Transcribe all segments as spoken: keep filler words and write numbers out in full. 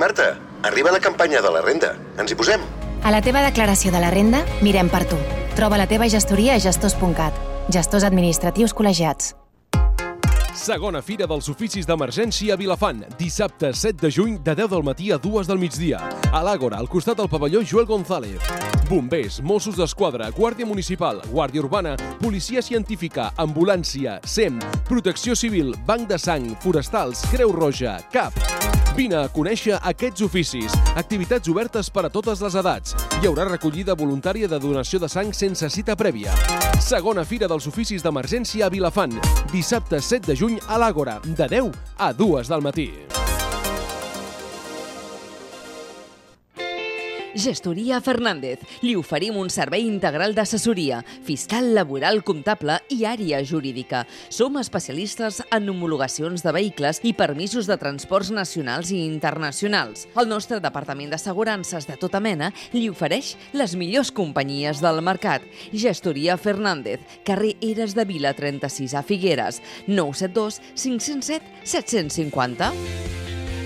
Marta, arriba la campanya de la renda. Ens hi posem? A la teva declaració de la renda, mirem per tu. Troba la teva gestoria a gestors punt cat. Gestors administratius col·legiats. Segona Fira dels Oficis d'Emergència a Vilafant, dissabte set de juny de deu del matí a dues del migdia. A l'Àgora, al costat del pavelló Joel González. Bombers, Mossos d'Esquadra, Guàrdia Municipal, Guàrdia Urbana, Policia Científica, Ambulància, S E M, Protecció Civil, Banc de Sang, Forestals, Creu Roja, C A P. Vine a conèixer aquests oficis. Activitats obertes per a totes les edats. Hi haurà recollida voluntària de donació de sang sense cita prèvia. Segona Fira dels Oficis d'Emergència a Vilafant, dissabte set de juny a l'Àgora, de deu a dues del matí. Gestoria Fernández. Li oferim un servei integral d'assessoria, fiscal, laboral, comptable i àrea jurídica. Som especialistes en homologacions de vehicles i permisos de transports nacionals i internacionals. El nostre departament d'assegurances de tota mena li ofereix les millors companyies del mercat. Gestoria Fernández, carrer Eres de Vila trenta-sis a Figueres, nou set dos cinc zero set set cinc zero.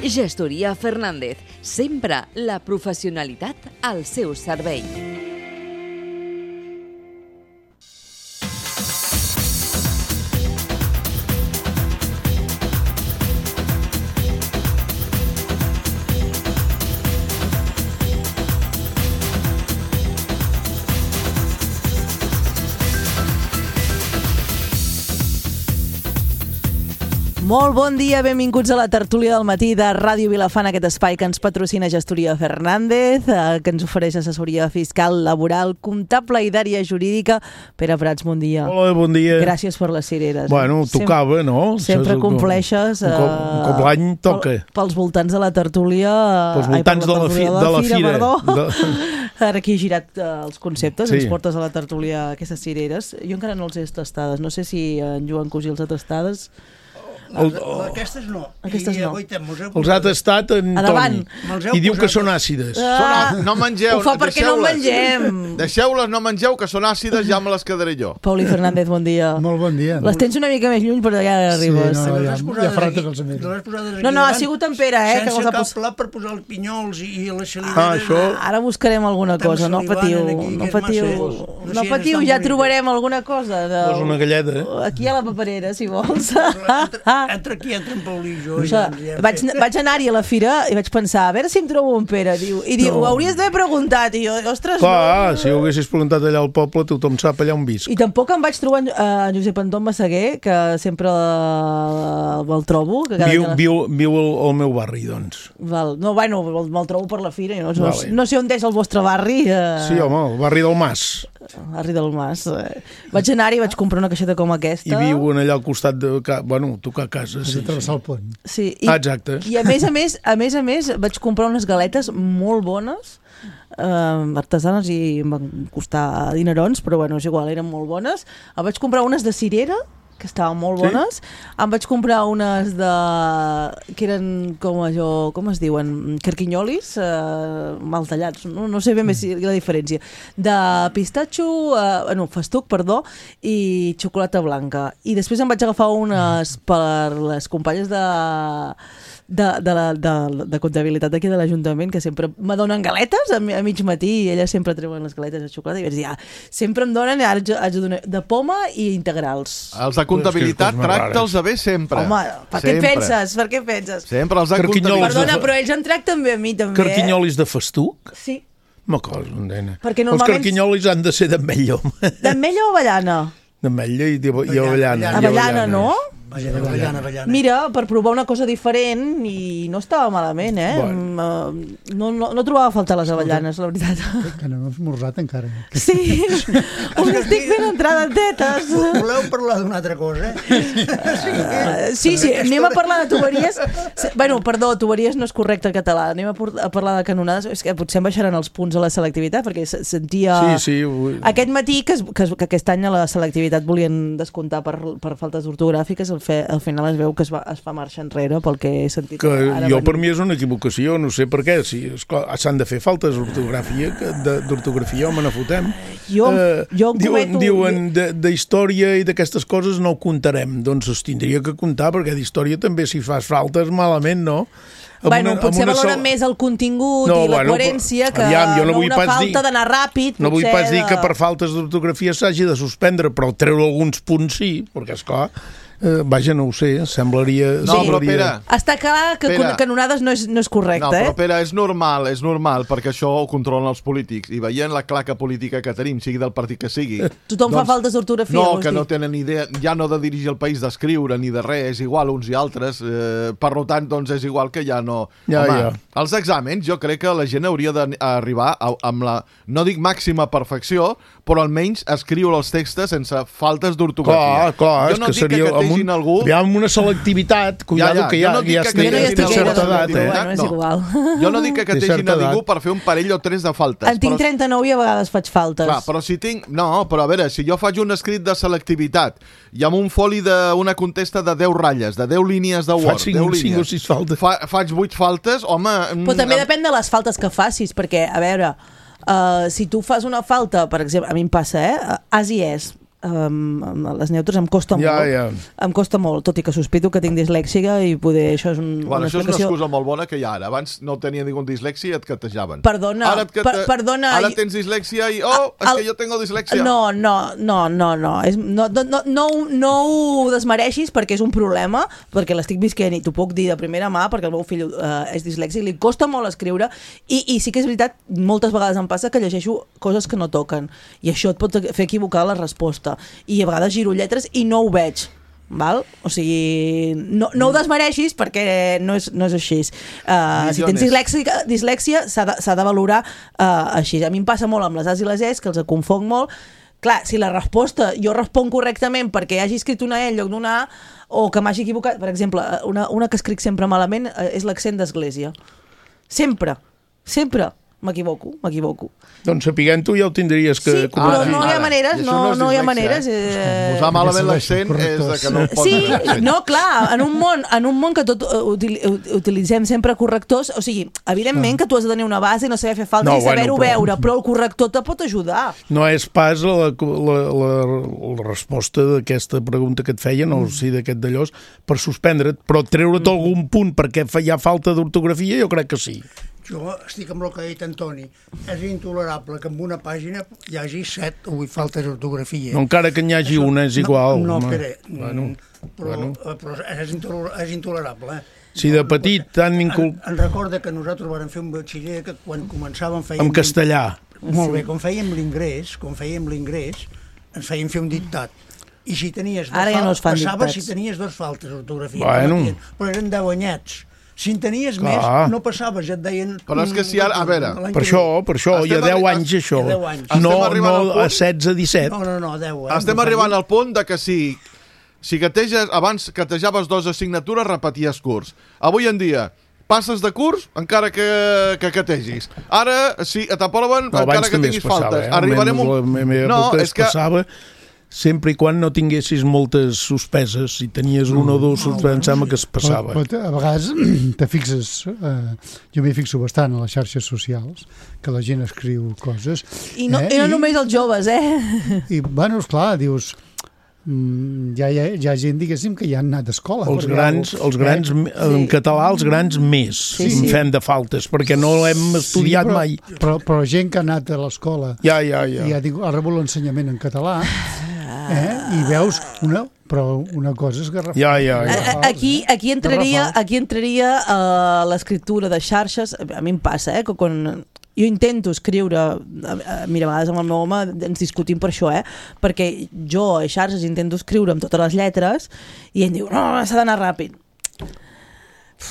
Gestoria Fernández, sempre la professionalitat al seu servei. Molt bon dia, benvinguts a la tertúlia del matí de Ràdio Vilafant, aquest espai que ens patrocina Gestoria Fernández, eh, que ens ofereix assessoria fiscal, laboral, comptable i d'àrea jurídica. Pere Prats, bon dia. Hola, bon dia. Gràcies per les cireres. Bueno, tocava, Sem no? Sempre compleixes. Un cop, un cop l'any toca. Pel, pels voltants de la tertúlia... Pels voltants ai, de, la fi, de la fira. Perdó. De... Ara aquí he girat uh, els conceptes, sí. Ens portes a la tertúlia aquestes cireres. Jo encara no els he tastades. No sé si en Joan Cosí els ha tastades. El, aquestes no. Aquestes no. I, guaitem, els ha tastat en Toni i diu que són àcides. Ah, són, no mengeu. Ho fa perquè no mengem. Deixeu-les, no mengeu, que són àcides, ja me les quedaré jo. Pauli Fernández, bon dia. Molt bon dia. Les tens una mica més lluny, però ja arribes. Sí, no, ja, ja farà tots els amics. No, no, ha sigut en Pere, eh? Sense que cap pla per posar els pinyols i les xalideres. Ah, això... Ara buscarem alguna cosa, no patiu. No patiu, no patiu, ja trobarem alguna cosa. Posa una galleda. Aquí a la paperera, si vols. Entra aquí, entra en Paulí i jo. O sigui, ja vaig vaig anar-hi a la fira i vaig pensar, a veure si em trobo un Pere. Diu, I diu, no. Ho hauries d'haver preguntat. I jo, ostres, clar, no. Si ho haguessis preguntat allà al poble, tothom sap allà on visc. I tampoc em vaig trobar en uh, Josep Anton Massaguer, que sempre uh, el trobo. Que cada viu, la... viu, viu al, al meu barri, doncs. Val. No, bueno, me'l trobo per la fira. No, no, vale. No sé on és el vostre barri. Uh... Sí, home, el barri del Mas. Barri del Mas. Eh. Vaig anar-hi i vaig comprar una caixeta com aquesta. I viuen allà al costat de... Bueno, tocar casa. Sí, travessar el pont. Sí, i, ah, exacte. I a més a més, a més a més, vaig comprar unes galetes molt bones, eh, artesanes, i em van costar dinerons, però bueno, és igual, eren molt bones. Em vaig comprar unes de cirera, que estaven molt bones. Sí? Em vaig comprar unes de... que eren com allò... com es diuen? Carquinyolis, eh, mal tallats. No, no sé ben bé si la diferència. De pistatxo... Eh, no, festuc, perdó, i xocolata blanca. I després em vaig agafar unes per les companyes de... De, de, la, de, de comptabilitat d'aquí de l'Ajuntament, que sempre me donen galetes a, a mig matí, i elles sempre treuen les galetes de xocolata, i vaig dir, ah, sempre em donen, ara haig de donar de poma i integrals. Els de comptabilitat tracta'ls bé sempre. Home, per què penses? Per què penses? Sempre els de comptabilitat. Perdona, però ells en tracten bé a mi també. Carquinyolis de festuc? Sí. Ma cosa, nena. Normalment... Els carquinyolis han de ser d'ametlla. D'ametlla o avellana? D'ametlla i, i avellana. Avellana, no? Avellana, avellana. Mira, per provar una cosa diferent, i no estava malament, eh? Bueno. No, no, no trobava a faltar les avellanes, la veritat. Que no hem esmorzat encara. Sí, us estic fent entrada en tetes. Voleu parlar d'una altra cosa? Uh, sí, sí, anem a parlar de tuberies. Bueno, perdó, tuberies no és correcte en català. Anem a parlar de canonades. És que potser em baixaran els punts a la selectivitat, perquè sentia... Sí, sí. Vull... Aquest matí, que, que, que aquest any a la selectivitat volien descomptar per, per faltes ortogràfiques, el fe, al final es veu que es, va, es fa marxa enrere pel que he sentit. Que ara jo venir. per mi és una equivocació, no sé per què. Si s'han de fer faltes d'ortografia, d'ortografia, home, no fotem. Jo, eh, jo diuen cometo... diuen de, de història i d'aquestes coses no ho comptarem. Doncs es tindria que comptar, perquè d'història també si fas faltes malament, no? Bueno, una, potser valoren sol... més el contingut no, i la bueno, coherència que aviam, no, no una falta dir, d'anar ràpid. No vull pas de... dir que per faltes d'ortografia s'hagi de suspendre, però treure alguns punts sí, perquè esclar, eh, vaja, no ho sé, semblaria... No, semblaria... però Pere... Està clar que Pere, canonades no és, no és correcte, no, però, eh? Pere, és normal, és normal, perquè això ho controlen els polítics, i veient la claca política que tenim, sigui del partit que sigui... Tothom doncs, fa faltes d'ortografia, No, vols que dir? no tenen idea, ja no de dirigir el país, d'escriure, ni de res, és igual uns i altres, eh, per tant, doncs és igual que ja no... Ja, Home, ja. els exàmens, jo crec que la gent hauria d'arribar amb la, no dic màxima perfecció, però almenys escriure els textos sense faltes d'ortografia. Clar, clar, jo és no que dic seria... que categin un, algú... Hi ha una selectivitat, cuidado, Ja, ja, que jo ja, no dic ja, que ja, categin té algú certa de edat, eh? Bueno, és no. igual. Jo no dic que Té categin certa a ningú edat. per fer un parell o tres de faltes. En tinc però, trenta-nou i a vegades faig faltes. clar, però si tinc... No, però a veure, si jo faig un escrit de selectivitat i amb un foli d'una contesta de deu ratlles, de deu línies de Word, Faig cinc, deu cinc o línies, sis faltes. fa, faig vuit faltes, home... Però també depèn de les faltes que facis, perquè, a veure, uh, si tu fas una falta, per exemple, a mi em passa, eh? As i és. Um, les neutres em costa Ja, molt ja. em costa molt, tot i que sospito que tinc dislèxica i poder, això és un, Bueno, una això és una explicació. excusa molt bona que hi ha ara. Abans no tenia ningú amb dislèxia i et catejaven. Perdona, ara et cate... per, perdona Ara tens dislèxia i... Oh, és el- que jo tengo dislèxia. No, no, no, no, no. És, no, no, no, no, no ho desmereixis perquè és un problema, perquè l'estic visquent i t'ho puc dir de primera mà, perquè el meu fill uh, és dislèxic, li costa molt escriure i, i sí que és veritat, moltes vegades em passa que llegeixo coses que no toquen i això et pot fer equivocar la resposta i a vegades giro lletres i no ho veig. Val? O sigui, no, no ho desmereixis perquè no és, no és així. Uh, si tens dislèxia, dislèxia s'ha de, s'ha de valorar uh, així. A mi em passa molt amb les As i les Es, que els confonc molt. Clar, si la resposta jo responc correctament perquè hagi escrit una E en lloc d'una A o que m'hagi equivocat, per exemple, una, una que escric sempre malament uh, és l'accent d'església. Sempre, sempre m'equivoco, m'equivoco. Doncs sapiguent-ho ja ho tindries que... Sí, però Ara, no hi ha ara. maneres, I això no, no és no hi ha dislèxia, maneres. eh? Eh... Posar malament Perquè l'accent serveixen és de que no correctors. pot Sí, posar l'accent. no, clar, en un món, en un món que tot uh, util, uh, utilitzem sempre correctors, o sigui, evidentment que tu has de tenir una base i no saber fer falta No, i saber-ho bueno, però- veure, però el corrector te pot ajudar. No és pas la, la, la, la resposta d'aquesta pregunta que et feia, no sé d'aquest d'allò, per suspendre't, però treure't algun punt perquè fa- hi ha falta d'ortografia, jo crec que sí. Jo estic amb el que ha dit Antoni. És intolerable que en una pàgina hi hagi set o vuit faltes d'ortografia. No, encara que n'hi hagi Això- una, és igual. No, no home. Pere, Bueno, però, bueno. però és, intoler, és intolerable. Eh? Si de petit tan incul... En, en recorda que nosaltres vam fer un batxiller que quan començàvem fèiem... En castellà. Molt bé, quan fèiem l'ingrés, quan fèiem l'ingrés, ens feien fer un dictat. I si tenies dos Ara ja no es fan passava dictats. si tenies dos faltes d'ortografia. Bueno. Permetien, però eren deu anyets. Si en tenies Clar. més, no passaves, ja et deien... Però és que si ara- a veure, l'any Per que això, ve. per això, hi ha Estem deu arri- anys això. hi ha deu anys. No, Estem arribant al no punt- a setze, disset. No, no, no, deu. Eh? Estem No arribant facis- al punt de que si, si categes, abans catejaves dos assignatures, repeties curs. Avui en dia, passes de curs encara que, que categis. Ara, si t'aproven, No, encara abans que també es tinguis passava, faltes. eh? Arribarem Almenys un... la meva No, època és es que... passava sempre i quan no tinguessis moltes suspeses. Si tenies una o dues suspeses, em sembla que es passava. Però, però a vegades te fixes, eh, jo m'hi fixo bastant a les xarxes socials, que la gent escriu coses. I no, eh? i no només els joves, eh? I, bueno, esclar, dius... Mm, ja, hi ha, hi ha gent, diguéssim, que ja han anat a escola. Els perquè grans, algú- els grans eh? en català, els grans més Sí, en sí. fem de faltes, perquè no hem estudiat sí, però, mai. Però, però gent que ha anat a l'escola Ja, ja, ja. i ha, tingut- ha rebut l'ensenyament en català, eh? I veus una, però una cosa és garrafal. Ja, ja, ja. A- a- Aquí, aquí entraria, Garrafal. aquí entraria uh, l'escriptura de xarxes. A mi em passa, eh, que quan jo intento escriure, uh, mira, a vegades amb el meu home ens discutim per això, eh, perquè jo a xarxes intento escriure amb totes les lletres i ell diu, no, no s'ha d'anar ràpid.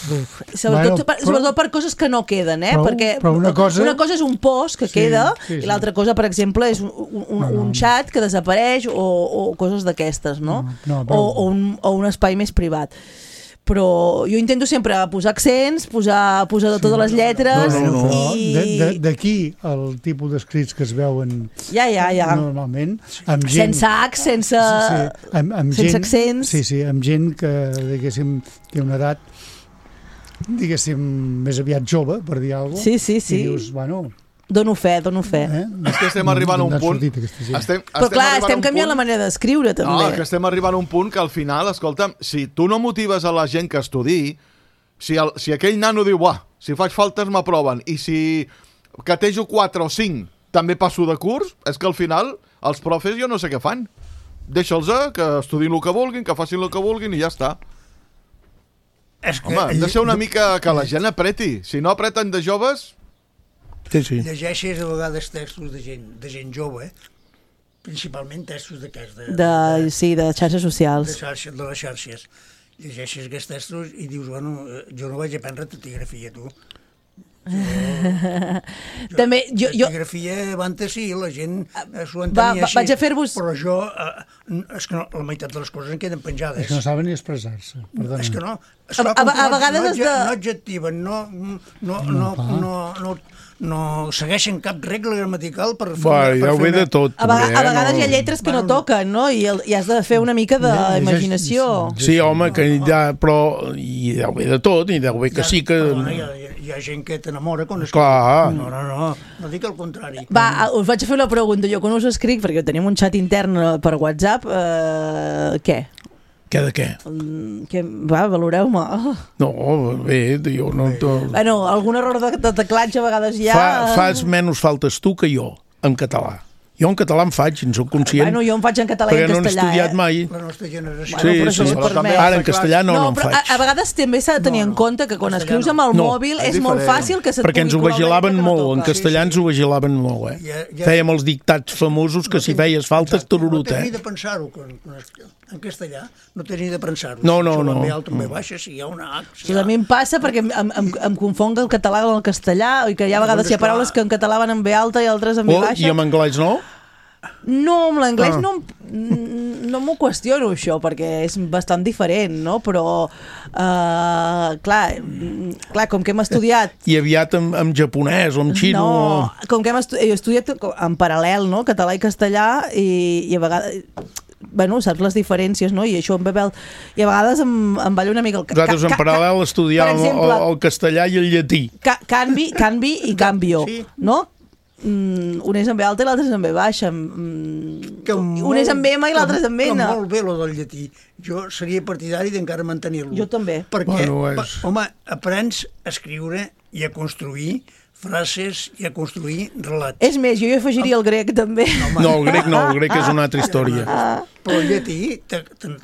Uf, sobretot, Bueno, per, però- sobretot per coses que no queden, eh? Però- perquè però una cosa- una cosa és un post que Sí, queda sí, sí. i l'altra cosa, per exemple, és un, un, un, No, no. un xat que desapareix o, o coses d'aquestes, no? No, no, o, però- o, un, o un espai més privat. però jo intento sempre posar accents, posar, posar sí, totes les lletres no, no, no. i... D'aquí el tipus d'escrits que es veuen ja, ja, ja. normalment amb gent, sense H, sense, sí, sí, amb, amb sense gent, accents sí, sí, amb gent que diguéssim té una edat diguéssim més aviat jove, per dir alguna cosa, sí, sí, sí. i dius, bueno... Dono fe, dono fe. Eh? És que estem arribant a un punt... Estem, estem Però clar, estem canviant punt... la manera d'escriure, també. No, que estem arribant a un punt que al final, escolta'm, si tu no motives a la gent que estudi, si, el, si aquell nano diu, buah, si faig faltes m'aproven, i si catejo quatre o cinc també passo de curs, és que al final els profes jo no sé què fan. Deixa'ls que estudin el que vulguin, que facin el que vulguin i ja està. És que Home, hem de ser una mica que la gent apreti. Si no apreten de joves... Sí, sí. Llegeixes a vegades textos de gent, de gent jove, principalment textos d'aquests. De, de, de, sí, de xarxes socials. De, xarxa, de les xarxes. Llegeixes aquests textos i dius, bueno, jo no vaig aprendre taquigrafia, tu. Jo, jo, també, jo, jo... taquigrafia abans sí, la gent s'ho Va, entenia va, així. vaig a fer-vos... Però jo, eh, és que no, la meitat de les coses en queden penjades. És que no saben ni expressar-se. Perdona. És que no. A, a, a vegades no, has de... no adjectiven, no, no, no, no, no, no, no segueixen cap regla gramatical per fer... Va, per ja ho ve una... de tot. A, vega, també, a vegades no... hi ha lletres que no toquen, no? I, el, i has de fer una mica d'imaginació. Sí, home, que ja, però hi deu haver de tot, i deu haver que sí que... Perdona, hi, ha, hi ha gent que t'enamora quan escriu. Clar. No, no, no, no dic el contrari. Va, us vaig a fer una pregunta. Jo quan us escric, perquè tenim un xat intern per WhatsApp, eh, què? Què de què? Que, va, valoreu-me. Oh. No, bé, jo no... To... Bueno, algun error de, de teclatge a vegades hi ha... Fa, fas menys faltes tu que jo, en català. Jo en català en faig, en soc conscient. Bueno, jo en faig en català i en castellà. Perquè no he estudiat eh? mai. La nostra generació. Sí, bueno, sí. sí. Ara en castellà no, no, no en però faig. A, a vegades també s'ha de tenir no, no. en compte que quan escrius amb el no. mòbil és, és molt fàcil que se't perquè ens ho vigilaven molt, en castellà sí, sí. ens ho vigilaven molt, eh? Ja, ja, Fèiem els dictats famosos que no si feies faltes, tururut, eh? No tens eh? ni de pensar-ho, en castellà, no tens ni de pensar-ho. No, no, si no. Si alta, no. baixa, si hi ha una H... Si ha... A mi em passa perquè em, em, em confong el català amb el castellà, i que hi ha vegades hi ha paraules que en català van amb B alta i altres amb B oh, baixa. I amb anglès no? No, amb l'anglès ah. no, no m'ho qüestiono això, perquè és bastant diferent, no? Però, uh, clar, clar, com que hem estudiat... I aviat amb, amb japonès o amb xino... No, com que hem estu he estudiat en paral·lel, no? Català i castellà, i, i a vegades... Bueno, saps les diferències, no? I això em ve... I a vegades em, em balla una mica el... Nosaltres en paral·lel estudiàvem el, el castellà i el llatí. Ca canvi, canvi i canvio, sí. no? Mm, un és amb B alta i l'altre és amb B baixa. Mm, molt, un és amb M i l'altre és amb N. Molt bé, lo del llatí. Jo seria partidari d'encara mantenir-lo. Jo també. Perquè, bueno, és... pa, home, aprens a escriure i a construir frases i a construir relats. És més, jo hi afegiria el grec, també. No, el grec no, el grec és una altra història. Ah. Però el llatí...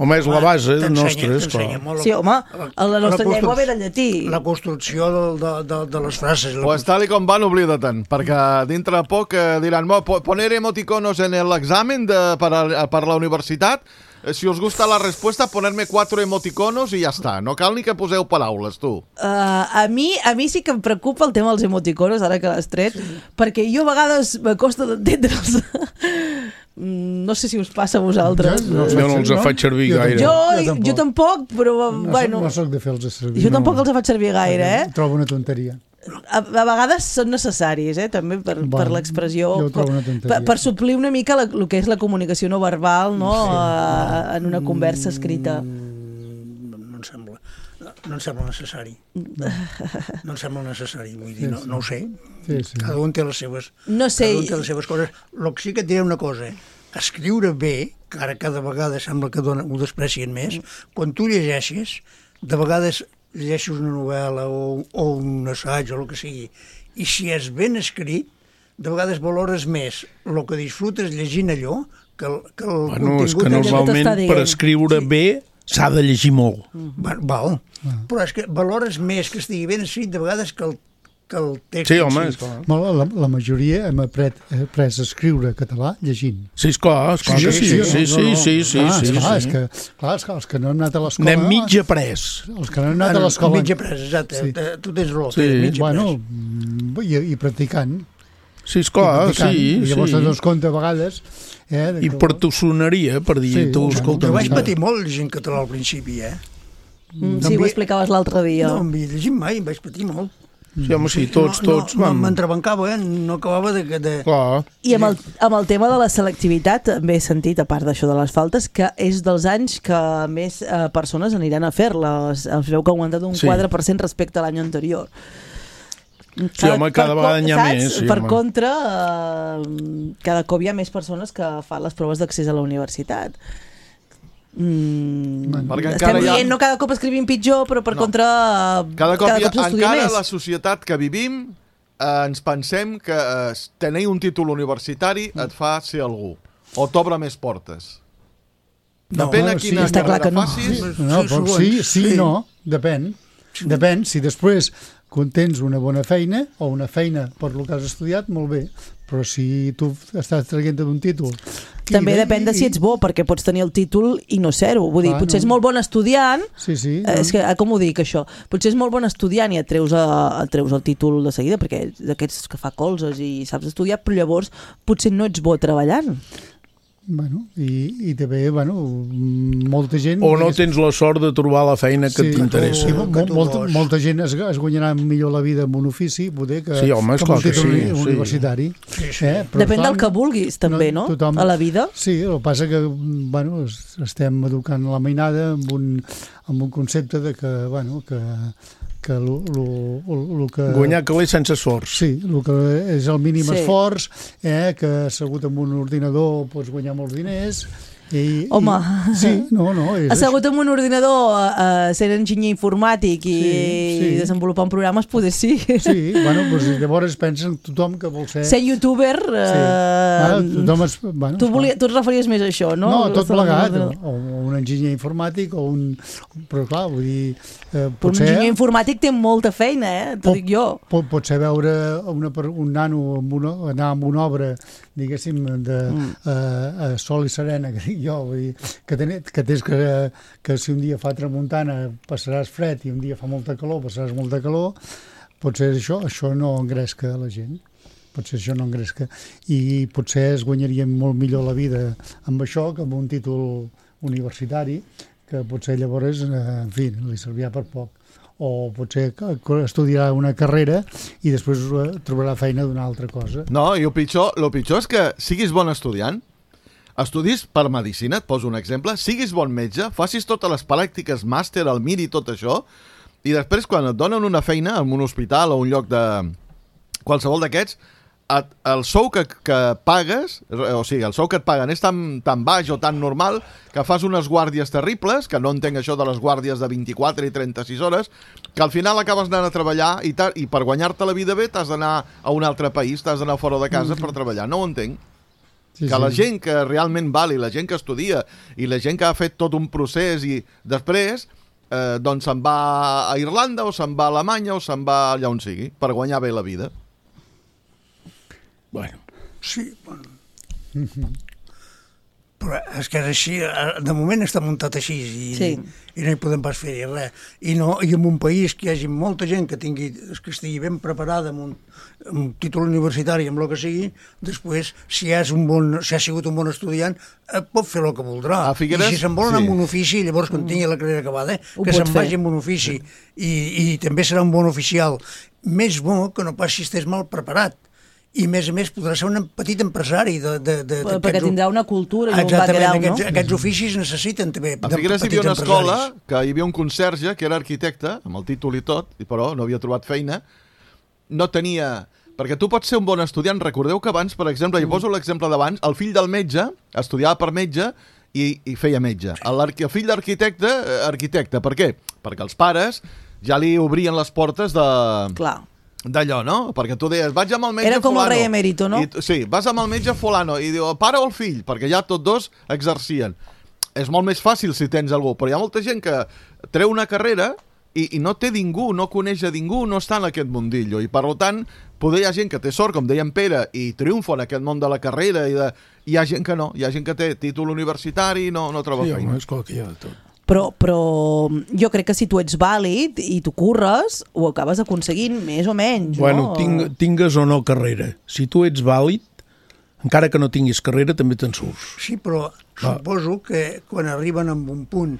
Home, és la base nostra, és clar. Sí, home, la nostra llengua ve del llatí. La construcció de, de, de, de les frases. Pues tal i com van, oblida-te'n, perquè dintre de poc eh, diran, poner emoticonos en l'examen per, a, per la universitat, si us gusta la respuesta, ponerme quatre emoticonos i ja està. No cal ni que poseu paraules, tu. Uh, a, mi, a mi sí que em preocupa el tema dels emoticonos, ara que l'has tret, sí. perquè jo a vegades m'acosta d'entendre'ls. No sé si us passa a vosaltres. Jo no, jo no els no? faig servir jo gaire. Jo, jo, tampoc. jo tampoc, però... No, bueno, no soc de fer-los servir. Jo tampoc no. els faig servir gaire, eh? Trobo una tonteria. A, a vegades són necessaris, eh, també per, bueno, per l'expressió, per, per suplir una mica la, el que és la comunicació no verbal, no, sí. a, en una conversa escrita. Mm, no em sembla, no, no em sembla necessari. No, no em sembla necessari, vull dir, no, no ho sé. Sí, sí. Cada un té les seves, no sé. cada un té les seves coses. El que sí que et diré una cosa, escriure bé, que ara cada vegada sembla que dona, ho desprecien més, quan tu llegeixes, de vegades llegeixes una novel·la o, o un assaig o el que sigui, i si és ben escrit, de vegades valores més el que disfrutes llegint allò que el, que el bueno, contingut... És que normalment per escriure sí. bé s'ha de llegir molt. Va, val, ah. però és que valores més que estigui ben escrit de vegades que el que el text... Sí, home, és clar. La, la majoria hem après, après a escriure català llegint. Sí, esclar, esclar sí, que sí. Sí, sí, sí, sí, sí, ah, sí, esclar, sí. És que, clar, és que els que no hem anat a l'escola... Anem mig après. Els que no hem anat a l'escola... Mig après, exacte. Sí. Tu tens raó, sí. mig après. Bueno, i, i practicant. Sí, esclar, sí. I llavors sí. te dones compte a vegades... Eh, I per tossoneria, per dir, sí, tu, escolta... Jo vaig patir molt llegint català al principi, eh? Mm, sí, ho explicaves l'altre dia. No havia llegit mai, em vaig patir molt. Sí, home, sí, tots, no, tots... No, vam... m'entrebancava, eh? No acabava de... de... Clar. I amb el, amb el tema de la selectivitat, també he sentit, a part d'això de les faltes, que és dels anys que més eh, persones aniran a fer-les. Es veu que ha augmentat un Sí. quatre per cent respecte a l'any anterior. Sí, home, cada per vegada co- n'hi ha saps? més, sí, per home. contra, eh, cada cop hi ha més persones que fan les proves d'accés a la universitat. Mm, Perquè estem encara hi ha- dient, no cada cop escrivim pitjor, però per No. contra Cada cop, cada hi ha, cop s'estudia encara més. la societat que vivim eh, ens pensem que eh, tenir un títol universitari et fa ser algú o t'obre més portes. No, Depèn a bueno, sí, quina està clar carrera que no. facis. No, Sí, però segons, sí, sí, sí. no, depèn. Depèn, si després tens una bona feina o una feina per lo que has estudiat, molt bé, però si tu estàs traient d'un títol... També i- depèn de si ets bo, perquè pots tenir el títol i no ser-ho. Vull dir, Clar, potser no. és molt bon estudiant, Sí, sí. eh, és que, eh, com ho dic, això? Potser és molt bon estudiant i et treus, a, et treus el títol de seguida, perquè d'aquests que fa colzes i saps estudiar, però llavors potser no ets bo treballant. Bueno, i, i també, bueno, molta gent... O no digués- tens la sort de trobar la feina que t'interessa. Sí, o mo- que tu molta, vols. molta gent es, es guanyarà millor la vida amb un ofici, poder, que, Sí, home, que amb esclar un que títol sí, uni- sí. universitari. Sí, sí. Eh? Però, Depèn clar, del que vulguis, també, no? tothom- A la vida. Sí, el que passa que bueno, es- estem educant la mainada amb un, amb un concepte de que, bueno, que, que lo, lo, lo que... Guanyar calés sense esforç. Sí, el que és el mínim Sí. esforç, eh, que assegut amb un ordinador pots guanyar molts diners. I, Home. I, sí, no, no, és Assegut amb un ordinador, uh, sent enginyer informàtic i, Sí, sí. i desenvolupant programes, poder sí. Sí, bueno, doncs llavors pensen tothom que vol ser... Ser youtuber... Uh, Ah, tothom es, bueno, tu, volia, tu et referies més a això, no? No, tot Estar amb plegat, o, l'ordinador. o un enginyer informàtic, o un... Però clar, vull dir... Eh, Però un potser, enginyer informàtic té molta feina, eh? T'ho Pot- dic jo. pot, potser veure una, per- un nano amb una, anar amb una obra, diguéssim, de mm. uh, sol i serena, que dic jo, vull dir, que, ten, que tens que, que si un dia fa tramuntana passaràs fred i un dia fa molta calor passaràs molta calor, potser això, això no engresca la gent. Potser això no engresca. I potser es guanyaria molt millor la vida amb això que amb un títol universitari, que potser llavors, eh, en fi, li servirà per poc. O potser que- que estudiarà una carrera i després eh, trobarà feina d'una altra cosa. No, i el pitjor, el pitjor és que siguis bon estudiant, estudis per medicina, et poso un exemple, siguis bon metge, facis totes les pràctiques, màster, el MIR i tot això, i després quan et donen una feina en un hospital o un lloc de... qualsevol d'aquests, et- el sou que, que pagues, o sigui, el sou que et paguen és tan, tan baix o tan normal que fas unes guàrdies terribles, que no entenc això de les guàrdies de vint-i-quatre i trenta-sis hores, que al final acabes anant a treballar i, ta, i per guanyar-te la vida bé t'has d'anar a un altre país, t'has d'anar fora de casa per treballar. No ho entenc. Sí, Que la gent que realment val i la gent que estudia i la gent que ha fet tot un procés i després eh, doncs se'n va a Irlanda o se'n va a Alemanya o se'n va allà on sigui per guanyar bé la vida. Bueno, Sí, bueno. Però és que és així, eh, de moment està muntat així i, Sí. i no hi podem pas fer-hi res. I, no, I en un país que hi hagi molta gent que tingui, que estigui ben preparada amb un, amb un títol universitari, amb el que sigui, després, si és un bon, si ha sigut un bon estudiant, eh, pot fer el que voldrà. A Figueres, I si se'n vol anar sí. amb un ofici, llavors quan tingui la carrera acabada, Ho que pot se'n fer. vagi amb un ofici. I, I també serà un bon oficial. Més bo que no pas si estàs mal preparat. I, a més a més, podrà ser un petit empresari de, de, de, Perquè d'aquests- tindrà una cultura i un Exactament, background, aquests, no? aquests oficis necessiten també A de Figueres hi petits havia una escola empresaris. que hi havia un conserge que era arquitecte, amb el títol i tot, i però no havia trobat feina, no tenia... Perquè tu pots ser un bon estudiant. Recordeu que abans, per exemple, jo poso l'exemple d'abans, el fill del metge estudiava per metge i, i feia metge. L'arqui- El fill d'arquitecte, eh, arquitecte. Per què? Perquè els pares ja li obrien les portes de... Clar. D'allò, no? Perquè tu deies, vaig amb el metge Era com el fulano. rei emèrito, no? I, tu- sí, vas amb el metge fulano i diu, el pare o el fill? Perquè ja tots dos exercien. És molt més fàcil si tens algú, però hi ha molta gent que treu una carrera i, i no té ningú, no coneix a ningú, no està en aquest mundillo. I per tant, poder hi ha gent que té sort, com deia en Pere, i triomfa en aquest món de la carrera, i de... hi ha gent que no. Hi ha gent que té títol universitari i no, no troba sí, feina. home, esclar que hi ha de tot. Però, però jo crec que si tu ets vàlid i tu curres, ho acabes aconseguint més o menys, Bueno, no? ting, tingues o no carrera. Si tu ets vàlid, encara que no tinguis carrera, també te'n surts. Sí, però Ah. suposo que quan arriben a un punt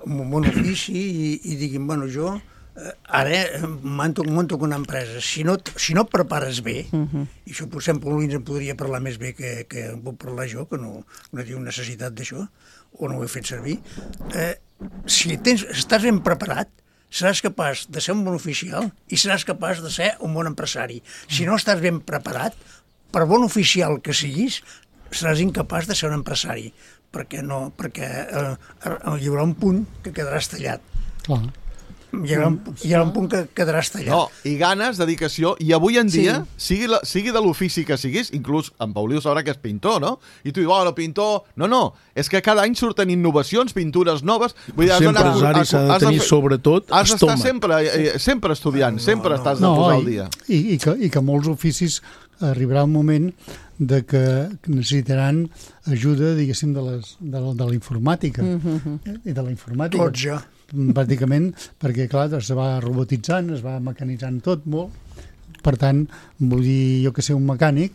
un bon ofici i, i diguin, bueno, jo eh, ara monto, monto una empresa. Si no, si no et prepares bé, uh-huh. i això potser en Paulins en podria parlar més bé que, que en puc parlar jo, que no, no tinc necessitat d'això, o no ho he fet servir, eh, si tens, estàs ben preparat, seràs capaç de ser un bon oficial i seràs capaç de ser un bon empresari. Si no estàs ben preparat, per bon oficial que siguis, seràs incapaç de ser un empresari, perquè, no, perquè eh, hi haurà un punt que quedaràs tallat. Clar. Hi haurà, un, hi haurà un punt que quedaràs tallat. No, i ganes, dedicació, i avui en dia, sí. sigui, la, sigui de l'ofici que siguis, inclús en Pauliu sabrà que és pintor, no? I tu dius, oh, no, pintor... No, no, és que cada any surten innovacions, pintures noves... Vull dir, sempre empresari s'ha de tenir, fer, sobretot, has d'estar sempre, eh, sempre estudiant, no, sempre no, estàs no, de posar al dia. I, i, que, I que molts oficis arribarà un moment de que necessitaran ajuda, diguéssim, de, les, de, la, de la informàtica. Mm-hmm. I de la informàtica. Tots ja. Pràcticament, perquè clar, es va robotitzant, es va mecanitzant tot molt. Per tant, vull dir, jo que sé, un mecànic,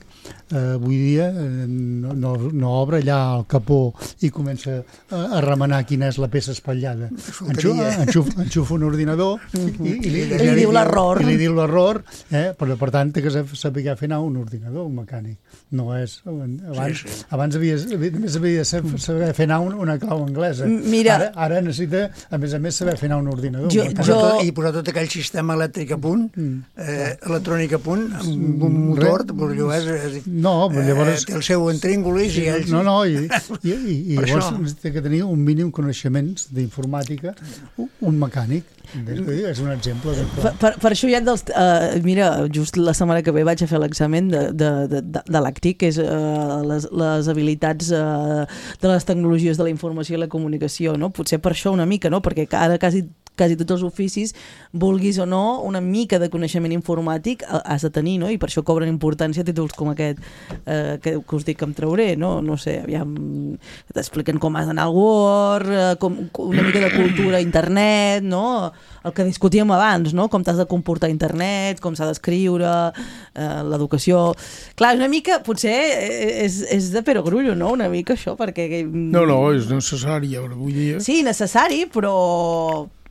eh, avui dia eh, no, no, no obre allà el capó i comença a, a remenar quina és la peça espatllada. Enxufa, enxufa, enxufa un ordinador i, i, i, li, I li diu l'error. I li diu l'error, eh? Però per tant té que saber fer anar un ordinador, un mecànic. No és... Abans, sí, sí. abans havia, més havia de saber fer anar un, una clau anglesa. Mira, ara, ara necessita, a més a més, saber fer anar un ordinador. Jo, un jo... Tot, I posar tot aquell sistema elèctric a punt, eh, electrònic a punt, amb un motor, doncs allò és... és no, però llavors... Eh, té el seu entríngulis i ells... No, no, i, i, i, i llavors té que tenir un mínim coneixements d'informàtica, un mecànic. És un exemple. Per, per, per això hi ha dels... Uh, mira, just la setmana que ve vaig a fer l'examen de, de, de, de l'A C T I, que és uh, les, les habilitats uh, de les tecnologies de la informació i la comunicació, no? Potser per això una mica, no? Perquè ara quasi quasi tots els oficis, vulguis o no, una mica de coneixement informàtic has de tenir, no? I per això cobren importància títols com aquest eh, que, que us dic que em trauré, no? No sé, aviam, t'expliquen com has d'anar al Word, eh, com, una mica de cultura a internet, no? El que discutíem abans, no? Com t'has de comportar a internet, com s'ha d'escriure, eh, l'educació... Clar, una mica, potser és, és de perogrullo, no? Una mica això, perquè... No, no, és necessari, ara vull dir... Sí, necessari, però...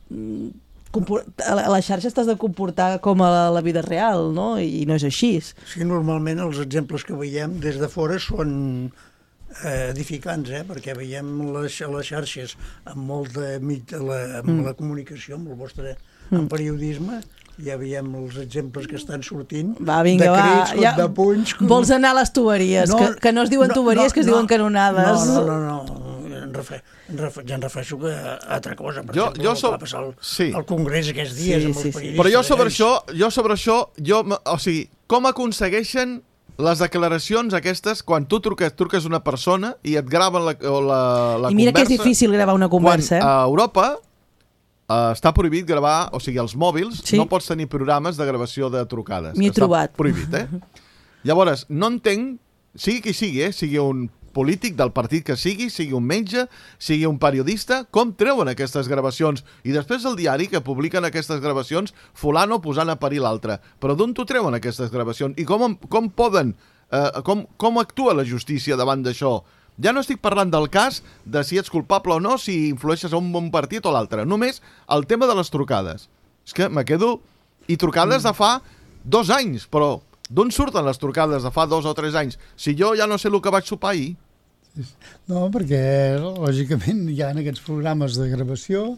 a les xarxes t'has de comportar com a la vida real, no? I no és així. Sí, normalment els exemples que veiem des de fora són eh, edificants, eh? Perquè veiem les, les xarxes amb molt de la, amb mm. la comunicació, amb el vostre amb periodisme, ja veiem els exemples que estan sortint. Va, vinga, de crits, va. Ja, de punys... Com... Vols anar a les tuberies, no, que, que no es diuen no, tuberies, no, que es no, diuen canonades. No, no, no, no. Em refer, em refer, ja em refereixo a altra cosa. Per jo, exemple, jo so... va passar el, sí. el congrés aquests dies sí, amb els sí, periodistes. Però jo sobre això, jo sobre això, jo, o sigui, com aconsegueixen les declaracions aquestes quan tu truques, truques una persona i et graven la, o la, la conversa... I mira que és difícil gravar una conversa. Quan a Europa uh, està prohibit gravar, o sigui, els mòbils, sí. no pots tenir programes de gravació de trucades. M'hi he trobat. Prohibit, eh? Llavors, no entenc, sigui qui sigui, eh? Sigui un polític del partit que sigui, sigui un metge, sigui un periodista, com treuen aquestes gravacions? I després el diari que publiquen aquestes gravacions, fulano posant a parir l'altre. Però d'on t'ho treuen aquestes gravacions? I com, com poden, eh, com, com actua la justícia davant d'això? Ja no estic parlant del cas de si ets culpable o no, si influeixes a un bon partit o l'altre. Només el tema de les trucades. És que me quedo... I trucades de fa dos anys, però... D'on surten les trucades de fa dos o tres anys? Si jo ja no sé el que vaig sopar ahir. No, perquè lògicament hi ha aquests programes de gravació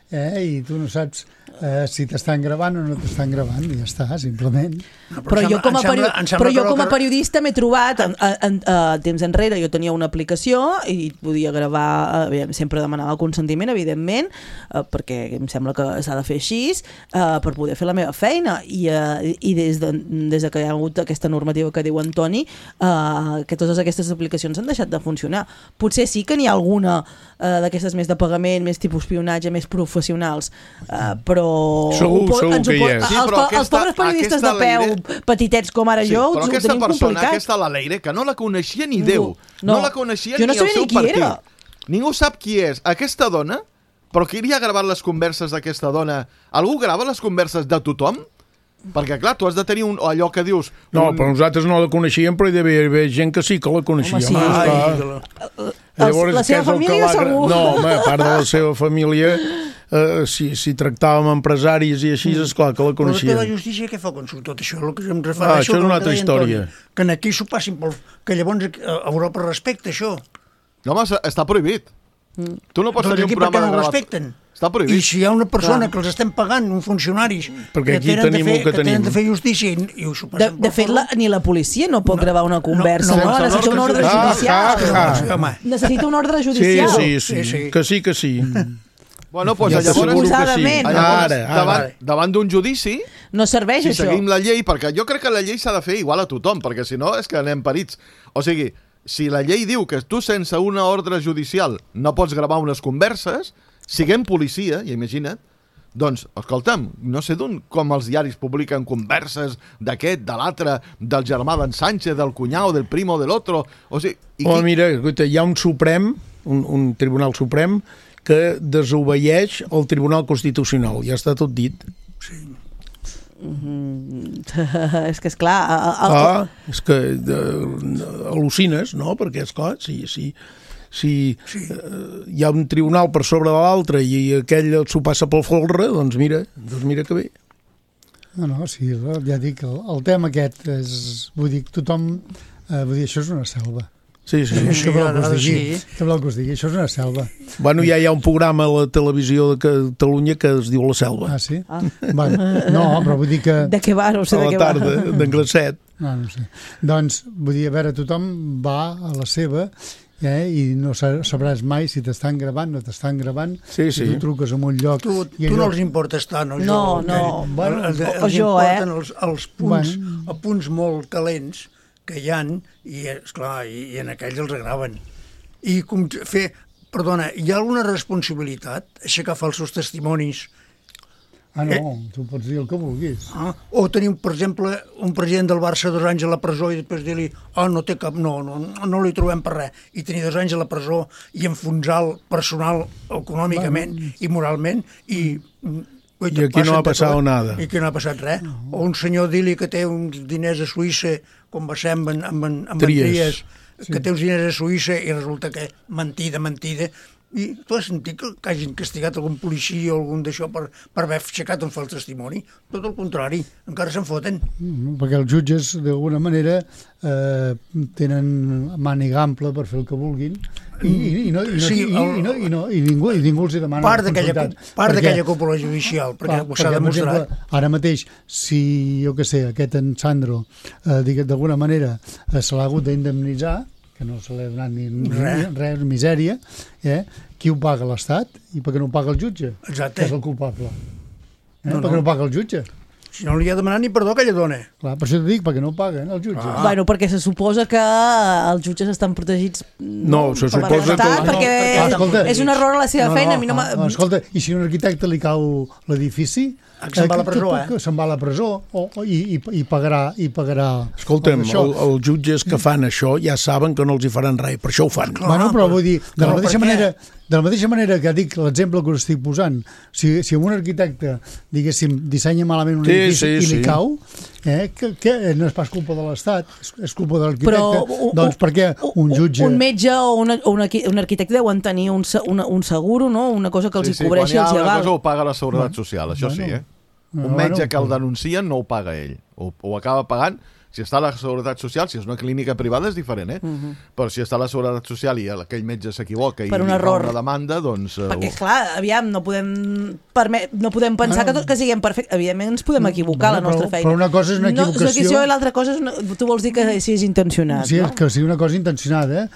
eh, i tu no saps eh, si t'estan gravant o no t'estan gravant i ja està, simplement. No, però, però, jo com a sembla, però jo com a periodista m'he trobat en, en, en, en temps enrere jo tenia una aplicació i podia gravar, eh, sempre demanava el consentiment evidentment, eh, perquè em sembla que s'ha de fer així eh, per poder fer la meva feina i, eh, i des, de, des de que hi ha hagut aquesta normativa que diu Antoni eh, que totes aquestes aplicacions han deixat de funcionar. Potser sí que n'hi ha alguna eh, d'aquestes més de pagament, més tipus espionatge, més professionals, eh, però segur, pot, segur que hi és. Sí, els, aquesta, els pobres periodistes de peu Leire... petitets com ara sí, jo ho tenim complicat. Però aquesta persona, aquesta la Leire, que no la coneixia ni Déu, no, no la coneixia no ni el seu partit. Era. Ningú sap qui és. Aquesta dona, però qui li ha gravat les converses d'aquesta dona? Algú grava les converses de tothom? Perquè, clar, tu has de tenir un, allò que dius... No, un... però nosaltres no la coneixíem, però hi devia haver gent que sí que la coneixia. Home, sí. Ai, Llavors, la seva què és el que família l'ha- segur. No, home, a part de la seva família, eh, si, si tractàvem empresaris i així, esclar que la Però després la coneixien. justícia què fa quan surt tot això? El que em Ah, refereixo això és al una que altra deia història. Antoni, que en aquí s'ho passin pel... Que llavors a Europa respecta això. No, home, està prohibit. Tu no pots Doncs tenir aquí un per què programa no de ho gravat. respecten? Està I prohibit. si hi ha una persona Clar. que els estem pagant, uns funcionaris, Perquè que aquí tenen, de tenim fer, el que que tenen tenim. de fer justícia i, i ho s'ho De, passen de fet, la, ni la policia no pot gravar una conversa, no, no? no, Necessita un ordre Ah, judicial. ah, ah. Home, Necessita un ordre Sí, judicial. sí, sí, Sí, sí. que sí, que sí. Bueno, doncs Ja llavors, t'asseguro que sí. Suposadament, no? llavors Ara, ara. davant, davant d'un judici, No serveix, si això. seguim la llei, perquè jo crec que la llei s'ha de fer igual a tothom, perquè si no és que anem perits. O sigui, si la llei diu que tu sense una ordre judicial no pots gravar unes converses, siguem policia, i imagina't, doncs, escolta'm, no sé d'on com els diaris publiquen converses d'aquest, de l'altre, del germà d'en Sánchez, del cunyau, del primo, de l'altre... O sigui, i Oh, qui... mira, escolta, hi ha un Suprem, un, un Tribunal Suprem, que desobeeix el Tribunal Constitucional. Ja està tot dit. És que, esclar... El, el, Ah, és que eh, al·lucines, no? Perquè, esclar, si, si, si eh, hi ha un tribunal per sobre de l'altre i aquell s'ho passa pel folre, doncs mira, doncs mira que bé. No, no, sí, ja dic, el, el tema aquest és... Vull dir, tothom... Eh, vull dir, això és una selva. Sí, sí. Sí, Què voleu que ara us digui? sí. Què voleu que us digui? Això és una selva. Bueno, ja hi ha un programa a la televisió de Catalunya que es diu La Selva. Ah, sí? Ah. Bueno, no, però vull dir que... de què va? No sé A de la què va. tarda, d'en Grasset. No, no sé. Doncs, vull dir, a veure, tothom va a la seva eh, i no sa- sabràs mai si t'estan gravant, no t'estan gravant, Sí, sí. si tu truques a un lloc... Tu, i tu no allò- els importes tant, o jo? No, o no. què? Bueno, els, o els jo, eh? importen els, els punts, Bueno. els punts molt calents que hi han, i, esclar, i, i en aquells els graven. I com fer... Perdona, hi ha alguna responsabilitat aixecar falsos testimonis? Ah, no, tu pots dir el que vulguis. Ah? O tenir, per exemple, un president del Barça dos anys a la presó i després dir-li ah, no té cap... No, no, no li trobem per res. I tenir dos anys a la presó i enfonsar el personal econòmicament bueno. i moralment i... Ui, I aquí no ha passat nada. I aquí no ha passat res. O un senyor dir-li que té uns diners a Suïssa, com va ser amb, en- amb, en- amb Tries. en Tries, que té uns diners a Suïssa i resulta que mentida, mentida. I tu has sentit que, que hagin castigat algun policia o algun d'això per, per haver aixecat un fals testimoni? Tot el contrari, encara se'n foten. Mm, perquè els jutges, d'alguna manera, eh, tenen màniga ampla per fer el que vulguin i, i, i, no, i, no, Sí, i, el- i, no, i, no, i, ningú, i ningú els hi demana Part d'aquella responsabilitat. part Perquè- d'aquella cúpula judicial, perquè Clar, ho s'ha perquè, per demostrat. exemple, ara mateix, si, jo que sé, aquest en Sandro, eh, digue- d'alguna manera, eh, se l'ha hagut d'indemnitzar, que no se li ha donat ni Res. res, res misèria, eh? Qui ho paga? L'Estat? I per què no ho paga el jutge? Exacte. Que és el culpable. Eh? No, Per què no. no ho paga el jutge? Si no li ha demanat ni perdó aquella dona. Clar, per això t'ho dic, perquè no ho paguen el jutge. Ah. Bueno, perquè se suposa que els jutges estan protegits No, se per suposa l'Estat, que- perquè Ah, escolta, és un error a la seva feina. A mi no m'ha- ah, escolta, i si a un arquitecte li cau l'edifici... Ah, que se'n va a la que- presó, que- eh? que Se'n va a la presó o, o, i, i, i pagarà... I pagarà Escolta'm, això. el, els jutges que fan això ja saben que no els hi faran res, per això ho fan. Clar. Bueno, però vull dir, de Però la mateixa per què? manera, de la mateixa manera que dic l'exemple que us estic posant, si, si un arquitecte, diguéssim, dissenya malament un Sí, edifici sí, i li sí. cau, eh, que, que no és pas culpa de l'Estat, és, és culpa de Però l'arquitecte, u- doncs u- per què un jutge... Un metge o una, o una, un arquitecte deuen tenir un, se- una, un seguro, no? Una cosa que els Sí, hi sí, cobreixi quan hi ha els una aval. cosa ho paga la Seguretat Social, això sí, eh? Un Bueno, metge que el però- denuncien no ho paga ell, ho, ho acaba pagant. Si està a la Seguretat Social, si és una clínica privada és diferent, eh? Mhm. Però si està a la Seguretat Social i aquell metge s'equivoca i Per un li fa error. una demanda, doncs... eh, Perquè, ho- clar, aviam, no podem, permet, no podem pensar Bueno. que, tot, que siguem perfectes. Evidentment ens podem equivocar a la Bueno, nostra però- feina. però una cosa és una No, és una equivocació- equivocació i l'altra cosa és una, tu vols dir que si és intencionat, Sí, no? que sigui una cosa intencionada, eh?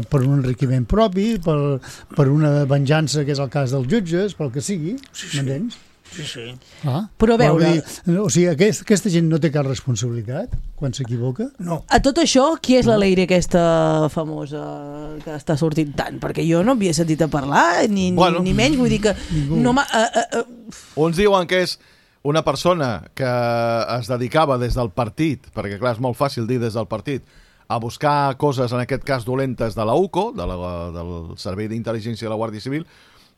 Per un enriquiment propi, per, per una venjança, que és el cas dels jutges, pel que sigui, m'entens? Sí, sí. Ah. Però a veure- Vull dir, o sigui, aquest, aquesta gent no té cap responsabilitat quan s'equivoca? No. A tot això, qui és la Leire aquesta famosa que està sortint tant? Perquè jo no havia sentit a parlar, ni, ni, Bueno. ni menys, vull dir que no m'ha... Uh, uh, uh, Uns diuen que és una persona que es dedicava des del partit, perquè clar, és molt fàcil dir des del partit, a buscar coses, en aquest cas dolentes, de la U C O, de la, del Servei d'Intel·ligència de la Guàrdia Civil,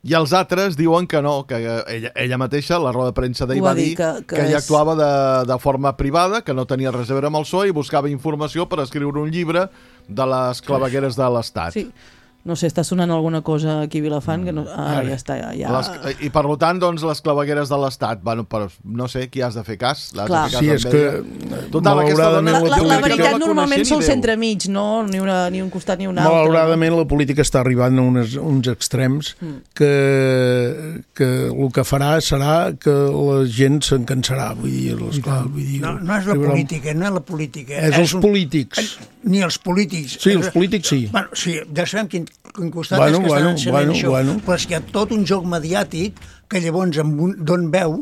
i els altres diuen que no, que ella, ella mateixa, a la roda de premsa d'ahir Ho va va dir dir que- que, que ella és- actuava de, de forma privada, que no tenia res a veure amb el P S O E i buscava informació per escriure un llibre de les clavegueres de l'Estat. sí. No sé, està sonant alguna cosa aquí a Vilafant que no... Ah, ja està, ja... ja... Les, I per tant, doncs, les clavegueres de l'Estat. Bueno, però no sé, qui has de fer cas? L'has Clar. de fer cas Sí, és que... Total, aquesta dona... La, la, la veritat no normalment ni són Déu. centremig, no? Ni, una, ni un costat ni un altre. Malauradament la política està arribant a unes, uns extrems que, que el que farà serà que la gent se'n cansarà. Vull dir, esclar, vull dir, No, no és la política, no és la política. És els un- polítics. Ni els polítics. Sí, els polítics sí. Bueno, sí, ja sabem quin, quin costat Bueno, és que bueno, estan encenent bueno, això, bueno. però és que hi ha tot un joc mediàtic que llavors amb un, d'on veu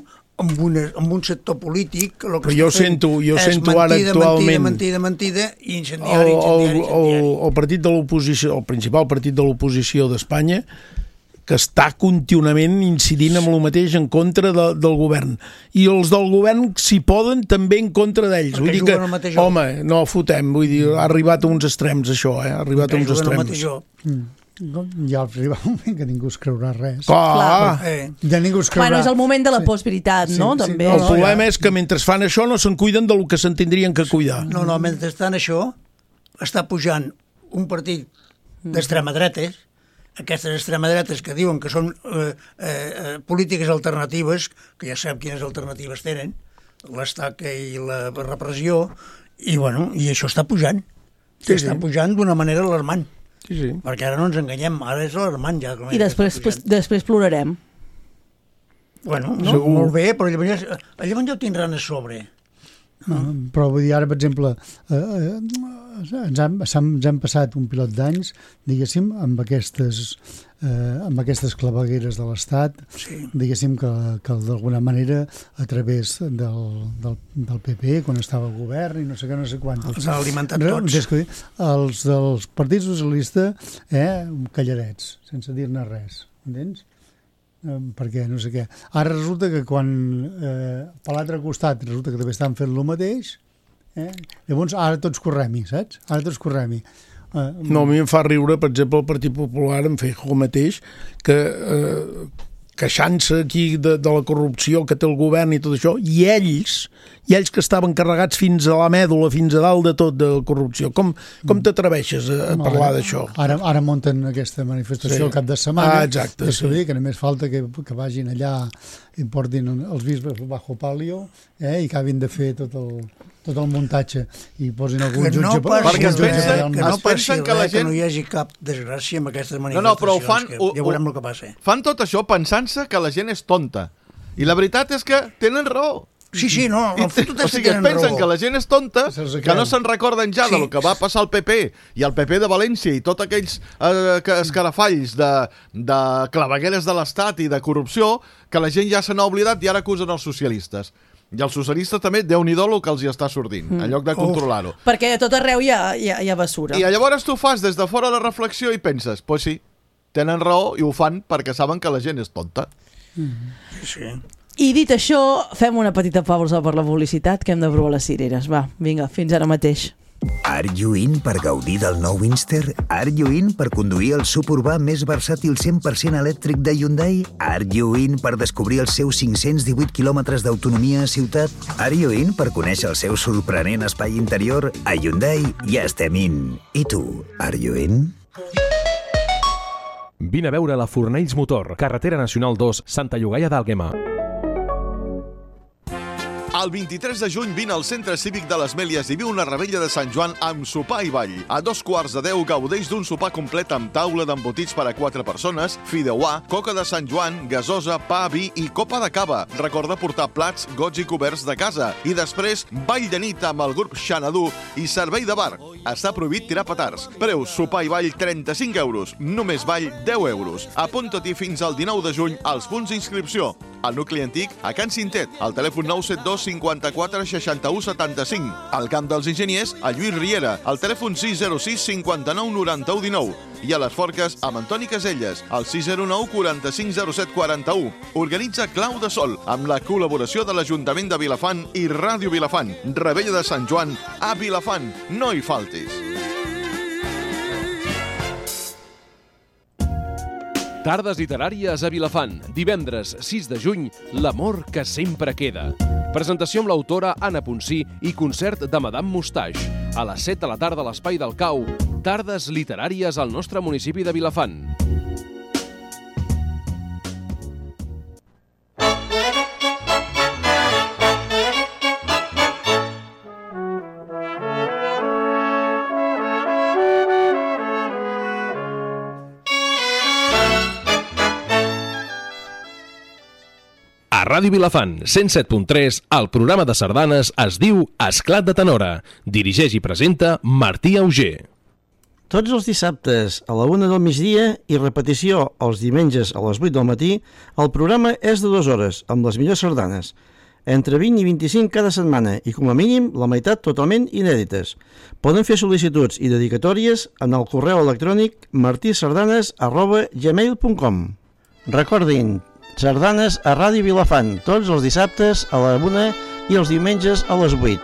amb, una, amb un sector polític el que Però jo està fent sento- jo és sento ara mentida, actualment- mentida, mentida, mentida i El, incendiari, el, incendiari, el, incendiari. el partit de l'oposició, el principal partit de l'oposició d'Espanya, que està contínuament incidint amb el mateix en contra de, del govern. I els del govern, si poden, també en contra d'ells. Perquè Vull dir juguen que, al mateix joc. home, no fotem, vull dir, ha arribat a uns extrems, això, eh? Ha arribat a uns Juguen al mateix extrems. joc. Mm. Ja arriba un moment que ningú es creurà res. Clar, Eh, Ja ningú es creurà. Bueno, és el moment de la postveritat, Sí, no? sí, També. el no, problema ja. és que mentre fan això no se'n cuiden del que se'n tindrien que cuidar. no, no, mentrestant això està pujant un partit d'extrema dretes, aquestes extrema dretes que diuen que són eh, eh, polítiques alternatives, que ja sabem quines alternatives tenen, l'estaca i la repressió, i, bueno, i això està pujant. Sí, Està sí. pujant d'una manera alarmant, Sí, sí. perquè ara no ens enganyem, ara és alarmant ja. com I després, està pujant. després plorarem. Bueno, no, Segur. molt bé, però llavors, ja- llavors ja ho tindran a sobre. Mm, Però vull dir, ara, per exemple, eh, eh, ens, han, s'han- ens hem passat un pilot d'anys, diguéssim, amb aquestes, eh, amb aquestes clavegueres de l'Estat, Sí. diguéssim que, que d'alguna manera a través del, del, del P P, quan estava al govern i no sé què, no sé quantos. Els ha alimentat Re- tots. és que els dels partits socialistes, eh, calladets, sense dir-ne res, entens? Eh, perquè no sé què. Ara resulta que quan eh, per l'altre costat resulta que també estan fent el mateix, eh? Llavors ara tots correm-hi, saps? Ara tots correm-hi. Eh, No, a mi em fa riure, per exemple, el Partit Popular em feia el mateix, que eh, queixant-se aquí de, de la corrupció que té el govern i tot això, i ells, i ells que estaven carregats fins a la mèdula, fins a dalt de tot de la corrupció. Com, com t'atreveixes a, a parlar d'això? Ara, ara munten aquesta manifestació Sí. al cap de setmana. Ah, exacte, És sí. que, que només falta que, que vagin allà i portin els bisbes bajo palio, eh, i acabin de fer tot el, tot el muntatge i posin algun Que no jutge... passi Perquè es algun jutge pensen- allà al que mig. no es passi pensen res, que la que gent- no hi hagi cap desgràcia amb aquestes No, manifestacions, no, però ho fan... que ho- ja veurem ho- el que passa. Fan tot això pensant-se que la gent és tonta. I la veritat és que tenen raó. Sí, sí, no, I, el fotut o és sigui, que es tenen pensen raó. que la gent és tonta, Se'ls que creu. no se'n recorden ja Sí. del que va passar al P P i al P P de València i tots aquells eh, que- escarafalls de, de clavegueres de l'Estat i de corrupció, que la gent ja se n'ha oblidat i ara acusen els socialistes. I els socialistes també, Déu-n'hi-do el que els hi està sortint, en lloc de controlar-ho. Perquè a tot arreu hi ha, hi ha, hi ha basura. I llavors tu fas des de fora la reflexió i penses, pues sí, tenen raó i ho fan perquè saben que la gent és tonta. Sí. I dit això, fem una petita pausa per la publicitat, que hem de provar les cireres. Va, vinga, fins ara mateix. Are you in per gaudir del nou Inster? Are you in per conduir el suburbà més versàtil cent per cent elèctric de Hyundai? Are you in per descobrir els seus cinc-cents divuit quilòmetres d'autonomia a ciutat? Are you in per conèixer el seu sorprenent espai interior? A Hyundai ja estem in. I tu, are you in? Vine a veure la Fornells Motor, carretera nacional dos, Santa Llogaia d'Àlguema. El vint-i-tres de juny vine al Centre Cívic de les Mèlies i viu una rebella de Sant Joan amb sopar i ball. A dos quarts de deu gaudeix d'un sopar complet amb taula d'embotits per a quatre persones, fideuà, coca de Sant Joan, gasosa, pa, vi i copa de cava. Recorda portar plats, gots i coberts de casa. I després, ball de nit amb el grup Xanadu i servei de bar. Està prohibit tirar petards. Preu sopar i ball trenta-cinc euros. Només ball deu euros. Apunta-t'hi fins al dinou de juny als punts d'inscripció. Al nucli antic, a Can Cintet, al telèfon nou set dos cinquanta-quatre seixanta-u setanta-cinc. Al Camp dels Enginyers, a Lluís Riera, al telèfon sis zero sis cinquanta-nou noranta-u dinou. I a les Forques, amb Antoni Caselles, al sis zero nou quaranta-cinc zero set quaranta-u. Organitza Clau de Sol, amb la col·laboració de l'Ajuntament de Vilafant i Ràdio Vilafant. Rebella de Sant Joan a Vilafant. No hi faltis. Tardes literàries a Vilafant. Divendres sis de juny, L'amor que sempre queda. Presentació amb l'autora Anna Ponsí i concert de Madame Moustache. A les set de la tarda a l'Espai del Cau. Tardes literàries al nostre municipi de Vilafant. A Ràdio Vilafant, cent set punt tres, el programa de sardanes es diu Esclat de Tenora. Dirigeix i presenta Martí Auger. Tots els dissabtes a la una del migdia i repetició els diumenges a les vuit del matí, el programa és de dues hores, amb les millors sardanes. Entre vint i vint-i-cinc cada setmana i, com a mínim, la meitat totalment inèdites. Poden fer sol·licituds i dedicatòries en el correu electrònic martisardanes arroba gmail punt com. Recordin, sardanes a Ràdio Vilafant, tots els dissabtes a la una i els diumenges a les vuit.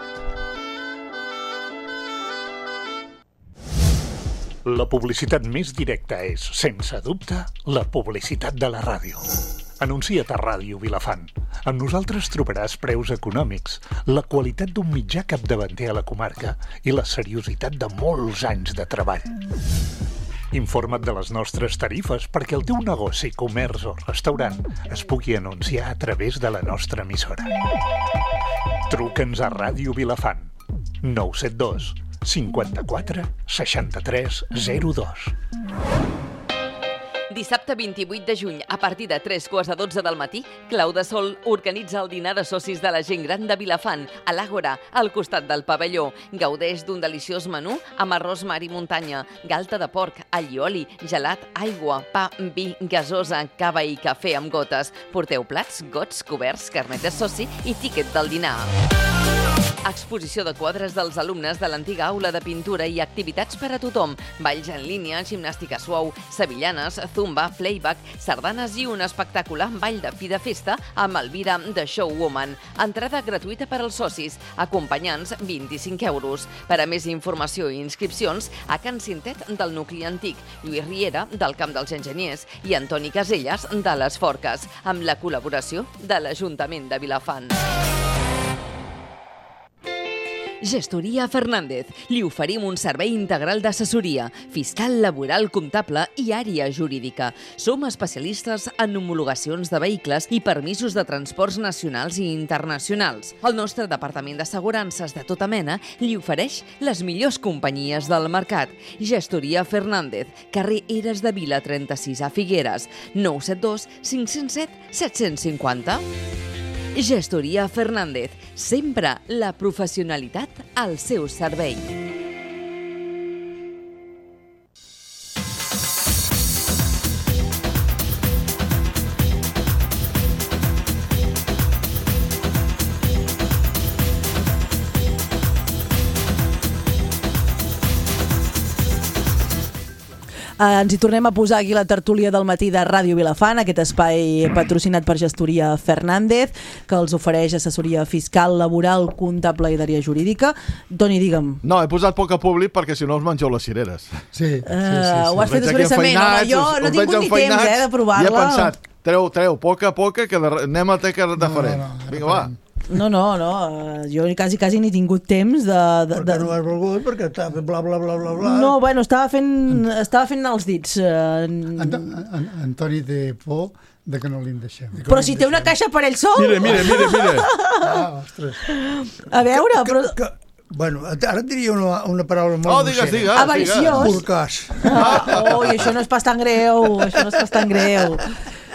La publicitat més directa és, sense dubte, la publicitat de la ràdio. Anuncia't a Ràdio Vilafant. Amb nosaltres trobaràs preus econòmics, la qualitat d'un mitjà capdavanter a la comarca i la seriositat de molts anys de treball. Informa't de les nostres tarifes perquè el teu negoci, comerç o restaurant es pugui anunciar a través de la nostra emissora. Truca'ns a Ràdio Vilafant. nou set dos cinquanta-quatre seixanta-tres zero dos. Dissabte vint-i-vuit de juny, a partir de tres quarts de dotze del matí, Clau de Sol organitza el dinar de socis de la gent gran de Vilafant, a l'Àgora, al costat del pavelló. Gaudeix d'un deliciós menú amb arròs mar i muntanya, galta de porc, allioli, gelat, aigua, pa, vi, gasosa, cava i cafè amb gotes. Porteu plats, gots, coberts, carnet de soci i tíquet del dinar. Exposició de quadres dels alumnes de l'antiga aula de pintura i activitats per a tothom. Balls en línia, gimnàstica suau, sevillanes, zumba, playback, sardanes i un espectacular ball de fi de festa amb Elvira de Showwoman. Entrada gratuïta per als socis, acompanyants vint-i-cinc euros. Per a més informació i inscripcions, a Can Cintet del nucli antic, Lluís Riera del Camp dels Enginyers i Antoni Caselles de les Forques, amb la col·laboració de l'Ajuntament de Vilafant. Gestoria Fernández. Li oferim un servei integral d'assessoria, fiscal, laboral, comptable i àrea jurídica. Som especialistes en homologacions de vehicles i permisos de transports nacionals i internacionals. El nostre departament d'assegurances de tota mena li ofereix les millors companyies del mercat. Gestoria Fernández, carrer Eres de Vila trenta-sis a Figueres, nou set dos cinc zero set set cinquanta. Gestoria Fernández, sempre la professionalitat al seu servei. Ens hi tornem a posar aquí la tertúlia del matí de Ràdio Vilafant, aquest espai patrocinat per Gestoria Fernández, que els ofereix assessoria fiscal, laboral, comptable i d'àrea jurídica. Toni, digue'm. No, he posat poc a públic perquè si no us mengeu les cireres. Sí, sí, sí, sí. Ho has fet expressament, home, jo no he tingut ni temps eh, de provar-la. I he pensat, treu, treu, poc a poc, que de, anem a teca de farem. No, no, Vinga, va. No, no, no, jo quasi quasi n'he tingut temps de... de perquè no has volgut, perquè estava bla, bla, bla, bla, bla... No, bueno, estava fent, estava fent els dits. Ant Antoni té por de que no li en deixem. Però si té una caixa per ell sol... Mira, mira, mira, mira. Ah, ostres. A veure, però... Que, que, bueno, ara et diria una, una paraula molt... Oh, digues, digues. Avariciós. Porcàs. Ah, ui, això no és pas tan greu, això no és pas tan greu.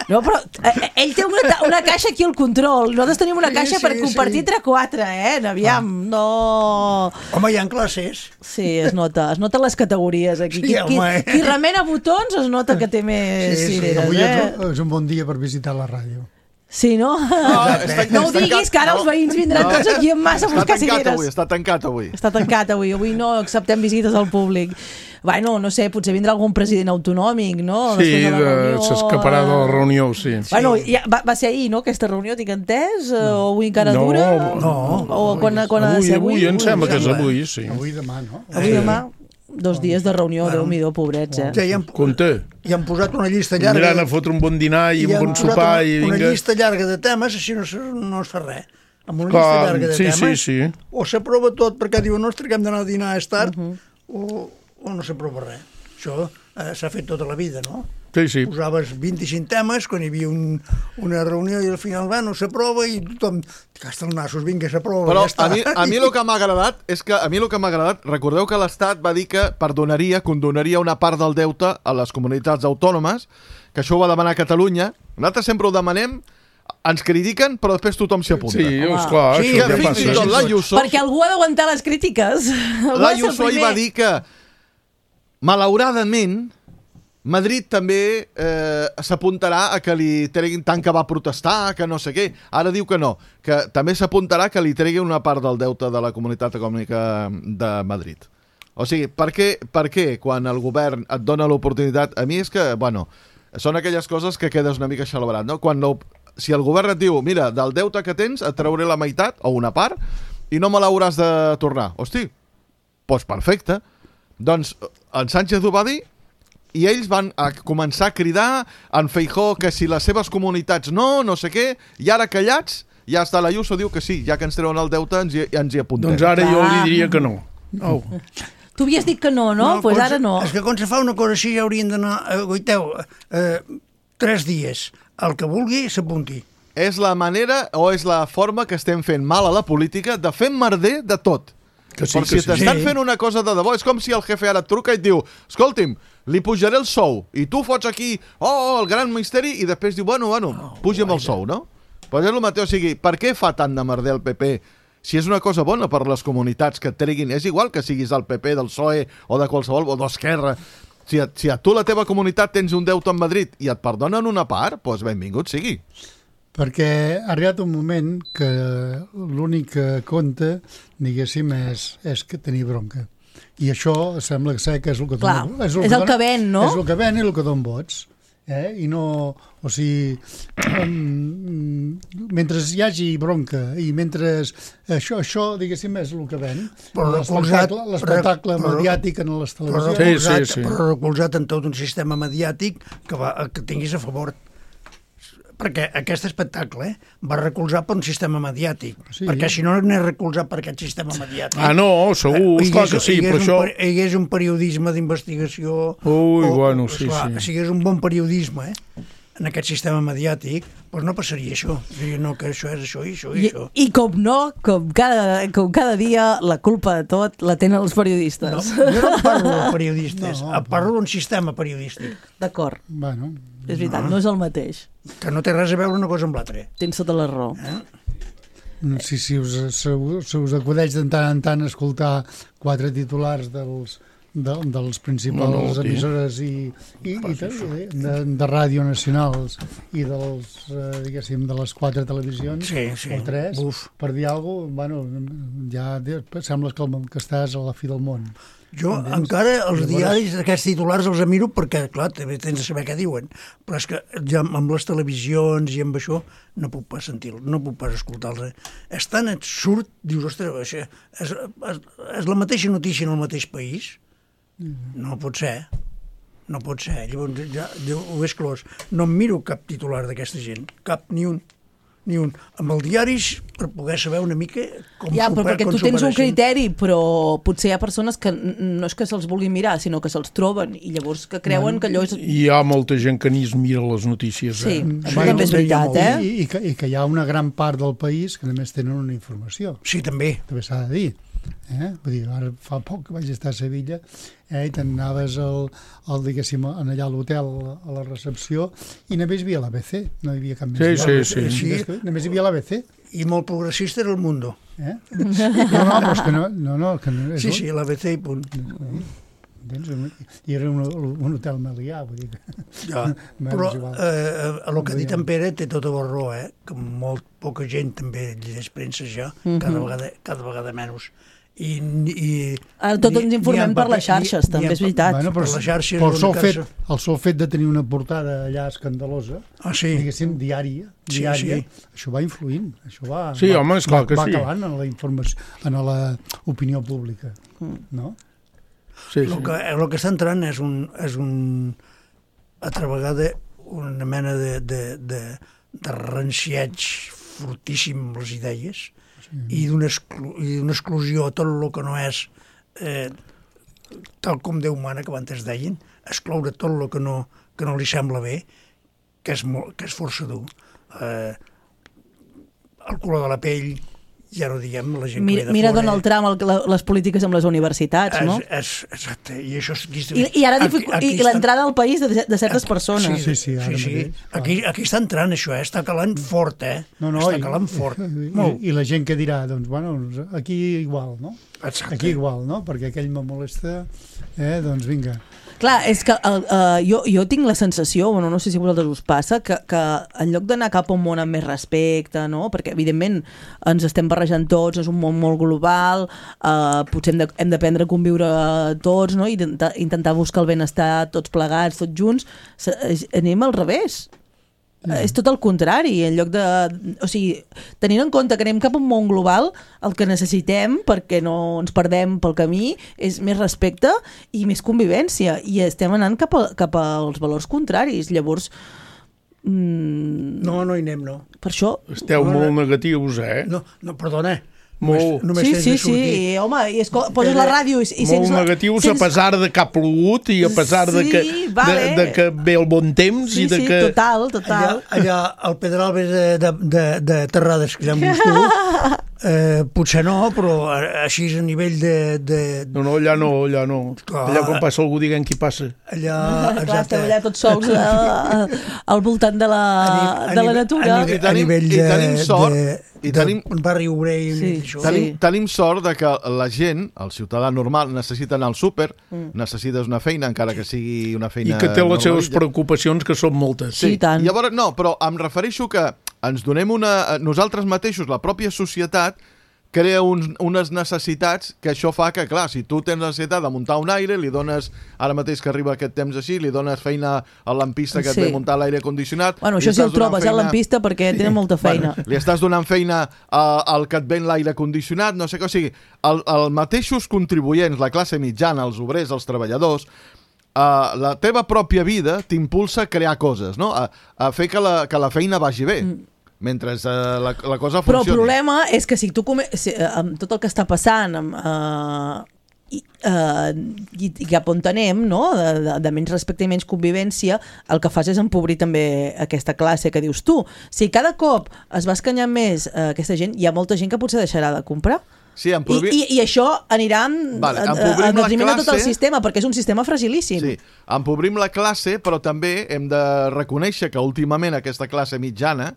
No, però eh, ell té una, una caixa aquí al control. Nosaltres tenim una caixa sí, sí, per compartir sí. entre quatre, eh? Aviam, ah. no... Home, hi ha classes. Sí, es nota, es nota les categories aquí. Sí, qui, qui, home. qui remena botons es nota que té més sí, cireres, sí. Avui eh? és un bon dia per visitar la ràdio. Sí, no? No, està, no ho diguis, que ara no. els veïns vindran no. tots aquí en massa a buscar cireres. Avui, està tancat avui. Està tancat avui. Avui no acceptem visites al públic. Bueno, no sé, potser vindrà algun president autonòmic, no? Sí, de s'escaparà de la reunió, sí. Bueno, ja, va, va ser ahir, no?, aquesta reunió, tinc entès? No. O avui encara no, dura? No, o quan, quan avui, ha de ser avui? Avui, em sembla que és avui, sí. Avui demà, no? Avui sí. demà. Dos dies de reunió, bueno, Déu-m'hi-do, pobrets, eh? Ja hi han, Compte. I han posat una llista llarga... Aniran a fotre un bon dinar i, i un bon sopar una, i vinga... una llista llarga de temes, així no, no es fa res. Amb una Clar, llista llarga de sí, temes, sí, sí. o s'aprova tot perquè diuen, ostres, que hem d'anar a dinar a tard, uh -huh. o, o no s'aprova res. Això eh, s'ha fet tota la vida, no? Sí, sí. Posaves vint-i-cinc temes, quan hi havia un, una reunió i al final va, no s'aprova i tothom, gasta els nassos, vinga, s'aprova. Però ja està. a mi, a mi el que m'ha agradat és que a mi el que m'ha agradat, recordeu que l'Estat va dir que perdonaria, condonaria una part del deute a les comunitats autònomes, que això ho va demanar Catalunya. Nosaltres sempre ho demanem, ens critiquen, però després tothom s'hi apunta. Sí, esclar, sí, això que què fins i tot passa? l'Ayuso... Perquè algú ha d'aguantar les crítiques. L'Ayuso hi va dir que, malauradament, Madrid també eh, s'apuntarà a que li treguin tant que va protestar, que no sé què. Ara diu que no, que també s'apuntarà que li treguin una part del deute de la Comunitat Econòmica de Madrid. O sigui, per què, per què quan el govern et dona l'oportunitat... A mi és que, bueno, són aquelles coses que quedes una mica xalabrat, no? Quan no, si el govern et diu, mira, del deute que tens et trauré la meitat o una part i no me l'hauràs de tornar. Hosti, doncs perfecte. Doncs en Sánchez ho va dir i ells van a començar a cridar en Feijóo que si les seves comunitats no, no sé què, i ara callats, ja està l'Ayuso, diu que sí, ja que ens treuen el deute ens hi, ens hi apuntem. Doncs ara jo li diria que no. No. Tu havies dit que no, no? Doncs pues ara no. És que quan se fa una cosa així ja haurien d'anar, eh, goiteu, eh, tres dies, el que vulgui s'apunti. És la manera o és la forma que estem fent mal a la política de fer merder de tot. Que sí, Però que si t'estan sí. fent una cosa de debò, és com si el jefe ara et truca i et diu, escolti'm, li pujaré el sou, i tu fots aquí, oh, el gran misteri, i després diu, bueno, bueno, puja'm el sou, no? Però és el mateix, o sigui, per què fa tant de merder el P P si és una cosa bona per les comunitats que et treguin? És igual que siguis del P P, del P S O E, o de qualsevol, o d'Esquerra. Si a, si a tu, la teva comunitat, tens un deute en Madrid i et perdonen una part, doncs benvingut sigui. Perquè ha arribat un moment que l'únic que compta, diguéssim, és, és que tenir bronca. I això sembla ser que és el que Clar, dona, és el, és el que ven, no? És el que ven i el que dona vots. Eh? I no... O sigui, um, mentre hi hagi bronca i mentre això, això diguéssim, és el que ven, l'espectacle mediàtic en les televisions... Però recolzat, sí, sí, sí. però recolzat en tot un sistema mediàtic que, va, que tinguis a favor. Perquè aquest espectacle eh, va recolzar per un sistema mediàtic, sí. Perquè si no n'és recolzat per aquest sistema mediàtic... Ah, no, segur, eh, esclar que sí, però això... Hi hagués un periodisme d'investigació... Ui, o, bueno, sí, esclar, sí. Si hi hagués un bon periodisme eh, en aquest sistema mediàtic, doncs no passaria això. Diria, no, que això és això i això i, I això. I com no, com cada, com cada dia, la culpa de tot la tenen els periodistes. No, jo no parlo de periodistes, no, parlo d'un sistema periodístic. D'acord. Bueno... És veritat, no. no és el mateix. Que no té res a veure una cosa amb l'altra. Tens tota la raó. Eh? Sí, si us, si, si us acudeix de tant en tant escoltar quatre titulars dels, de, dels principals no, no, emissores i, i, i de, de, de ràdio nacionals i dels, eh, diguéssim, de les quatre televisions, sí, sí. o tres, Uf. per dir alguna cosa, bueno, ja sembles que, que estàs a la fi del món. Jo encara els diaris d'aquests titulars els miro perquè, clar, també tens de saber què diuen, però és que ja amb les televisions i amb això no puc pas sentir-los, no puc pas escoltar-los. És tan absurd, dius, ostres, això és, és, és la mateixa notícia en el mateix país? No pot ser, no pot ser. Llavors ja, ja ho he exclòs. No em miro cap titular d'aquesta gent, cap, ni un. ni un, amb els diaris per poder saber una mica com ja, super, però perquè com tu tens un superaixen. criteri, però potser hi ha persones que no és que se'ls vulguin mirar, sinó que se'ls troben i llavors que creuen bueno, que allò és... Hi ha molta gent que ni es mira les notícies. Sí, eh? això sí, també és veritat, eh? I, i, que, I que hi ha una gran part del país que només tenen una informació. Sí, també. També s'ha de dir. Eh? Vull dir, ara fa poc que vaig estar a Sevilla eh? i t'anaves al, al, diguéssim, allà a l'hotel a la recepció i només hi havia l'A B C, no hi havia cap més. Sí, sí, sí. sí. Només hi havia l'A B C. I molt progressista era el Mundo. Eh? No, no, però és que no... no, no que no és sí, sí, l'A B C i punt. I era un, un hotel melià, vull dir que... Ja, però eh, el que ha dit en Pere té tota la raó, eh? Que molt poca gent també llegeix premsa ja, mm-hmm. cada, vegada, cada vegada menys. I, i, Ara tot ens informem per les xarxes, ni, també ni és veritat. Bueno, però, per les xarxes però el, sol fet, el sol fet de tenir una portada allà escandalosa, ah, sí. diguéssim, diària, diària sí, sí. això va influint, això va, sí, va, home, és clar va, que va sí. calant en la informació, en l'opinió pública, mm. no? Sí, el, sí. que, el que està entrant és un, és un altra vegada una mena de, de, de, de ranciaig fortíssim amb les idees sí. i d'una exclu, exclusió a tot el que no és eh, tal com Déu mana, que abans es deien, excloure tot el que no, que no li sembla bé, que és, molt, que és força dur. Eh, el color de la pell, ja no diguem, la gent mira, que ve de mira fora... Donald Trump, el, la, les polítiques amb les universitats, és, no? És, exacte, i això... Aquí, I, i ara dificu... aquí, aquí i l'entrada al país de, de certes aquí, persones. Sí, sí, sí, sí. Aquí, aquí està entrant això, eh? Està calant fort, eh? No, no, està i, calant fort. I, i, I la gent que dirà, doncs, bueno, aquí igual, no? Exacte. Aquí igual, no? Perquè aquell me molesta, eh? Doncs vinga. Clar, és que uh, uh, jo, jo tinc la sensació, bueno, no sé si a vosaltres us passa, que, que en lloc d'anar cap a un món amb més respecte, no? Perquè evidentment ens estem barrejant tots, és un món molt global, uh, potser hem de, hem d'aprendre a conviure tots, no? I intentar, intentar buscar el benestar tots plegats, tots junts, anem al revés. Mm. És tot el contrari, en lloc de... O sigui, tenint en compte que anem cap a un món global, el que necessitem, perquè no ens perdem pel camí, és més respecte i més convivència. I estem anant cap, a, cap als valors contraris. Llavors... Mm, no, no hi anem, no. Per això... Esteu no, molt no, negatius, eh? No, no perdona. Molt. Només, només sí, sí, sí, home, i escol... poses la ràdio i, i molt sents... negatius sents... a pesar de que ha plogut i a pesar sí, de, que, vale. de, de que ve el bon temps sí, i de sí, que... total, total. Allà, allà al Pedralbes de, de, de, de Terrades, que ja em dius tu, eh, potser no, però així a nivell de... de... No, no, allà no, allà no. Clar. Allà quan passa algú diguem qui passa. Allà, clar, esteu allà tots sols a, al voltant de la, a de la natura. A, a, a nivell de... I tenim sort... De, I tenim, un barri obrer i sí, això. Tenim, sí. tenim sort de que la gent, el ciutadà normal, necessita anar al súper, mm. necessites una feina, encara que sigui una feina... I que té les seves preocupacions, que són moltes. Sí, sí tant. Llavors, no, però em refereixo que ens donem una... Nosaltres mateixos, la pròpia societat, crea uns, unes necessitats que això fa que, clar, si tu tens necessitat de muntar un aire, li dones, ara mateix que arriba aquest temps així, li dones feina al lampista que sí. et ve muntar l'aire condicionat... Bueno, això si el trobes, feina... eh, el lampista, perquè tenen molta feina. Bueno, li estàs donant feina uh, al que et ven l'aire condicionat, no sé què, o sigui, el, el mateixos contribuents, la classe mitjana, els obrers, els treballadors, uh, la teva pròpia vida t'impulsa a crear coses, no? A, a fer que la, que la feina vagi bé. Mm. Mentre uh, la, la cosa funcioni. Però el problema és que si tu come... si, uh, amb tot el que està passant amb, uh, i, uh, i, i cap on anem, no? de, de, de menys respecte i menys convivència, el que fas és empobrir també aquesta classe que dius tu. Si cada cop es va escanyar més uh, aquesta gent, hi ha molta gent que potser deixarà de comprar. Sí, empobrir... I, i, I això anirà vale, en detriment de tot el sistema, perquè és un sistema fragilíssim. Sí, empobrim la classe, però també hem de reconèixer que últimament aquesta classe mitjana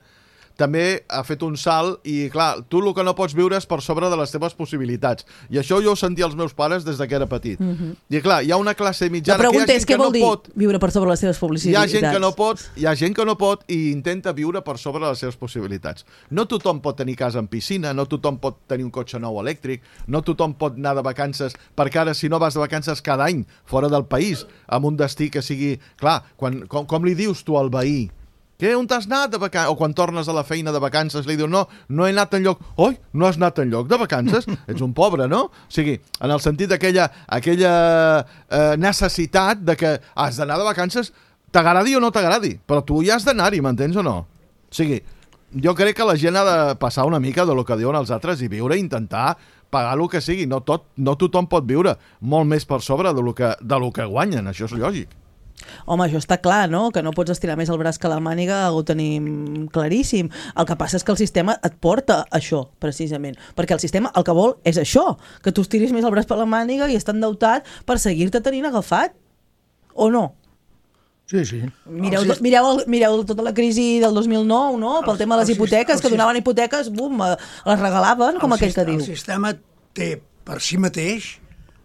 també ha fet un salt i, clar, tu el que no pots viure és per sobre de les teves possibilitats. I això jo ho sentia als meus pares des que era petit. Mm-hmm. I, clar, hi ha una classe mitjana que hi ha gent que no pot... viure per sobre les teves possibilitats? Hi ha gent que no pot, hi ha gent que no pot i intenta viure per sobre les seves possibilitats. No tothom pot tenir casa amb piscina, no tothom pot tenir un cotxe nou elèctric, no tothom pot anar de vacances, perquè ara si no vas de vacances cada any fora del país, amb un destí que sigui... Clar, quan, com, com li dius tu al veí? Què, on t'has anat de vacances? O quan tornes a la feina de vacances li dius, no, no he anat enlloc. Oi, no has anat enlloc de vacances? Ets un pobre, no? O sigui, en el sentit d'aquella aquella, eh, necessitat de que has d'anar de vacances, t'agradi o no t'agradi, però tu hi has d'anar-hi, m'entens o no? O sigui, jo crec que la gent ha de passar una mica de lo que diuen els altres i viure, intentar pagar el que sigui. No, tot, no tothom pot viure molt més per sobre de lo que, de lo que guanyen, això és lògic. Home, això està clar, no? Que no pots estirar més el braç que la màniga, ho tenim claríssim. El que passa és que el sistema et porta això, precisament. Perquè el sistema el que vol és això, que tu estiris més el braç per la màniga i estar endeutat per seguir-te tenint agafat. O no? Sí, sí. Mireu, mireu, mireu tota la crisi del dos mil nou, no? Pel tema de les hipoteques, que donaven hipoteques, bum, les regalaven, com aquell que diu. El sistema té per si mateix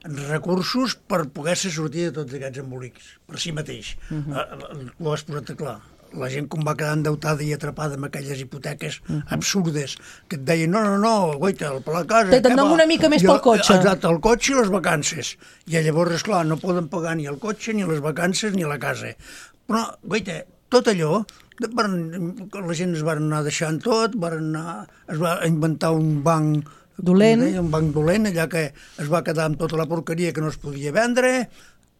recursos per poder-se sortir de tots aquests embolics, per si mateix. Uh-huh. Ho has posat clar. La gent com va quedar endeutada i atrapada amb aquelles hipoteques uh-huh. absurdes, que et deien, no, no, no, guaita, per la casa... Te'n dono una mica més pel cotxe. Exacte, el cotxe i les vacances. I llavors, esclar, no poden pagar ni el cotxe, ni les vacances, ni la casa. Però, guaita, tot allò, la gent es va anar deixant tot, van anar, es va inventar un banc Dolent. Un banc dolent, allà que es va quedar amb tota la porqueria que no es podia vendre,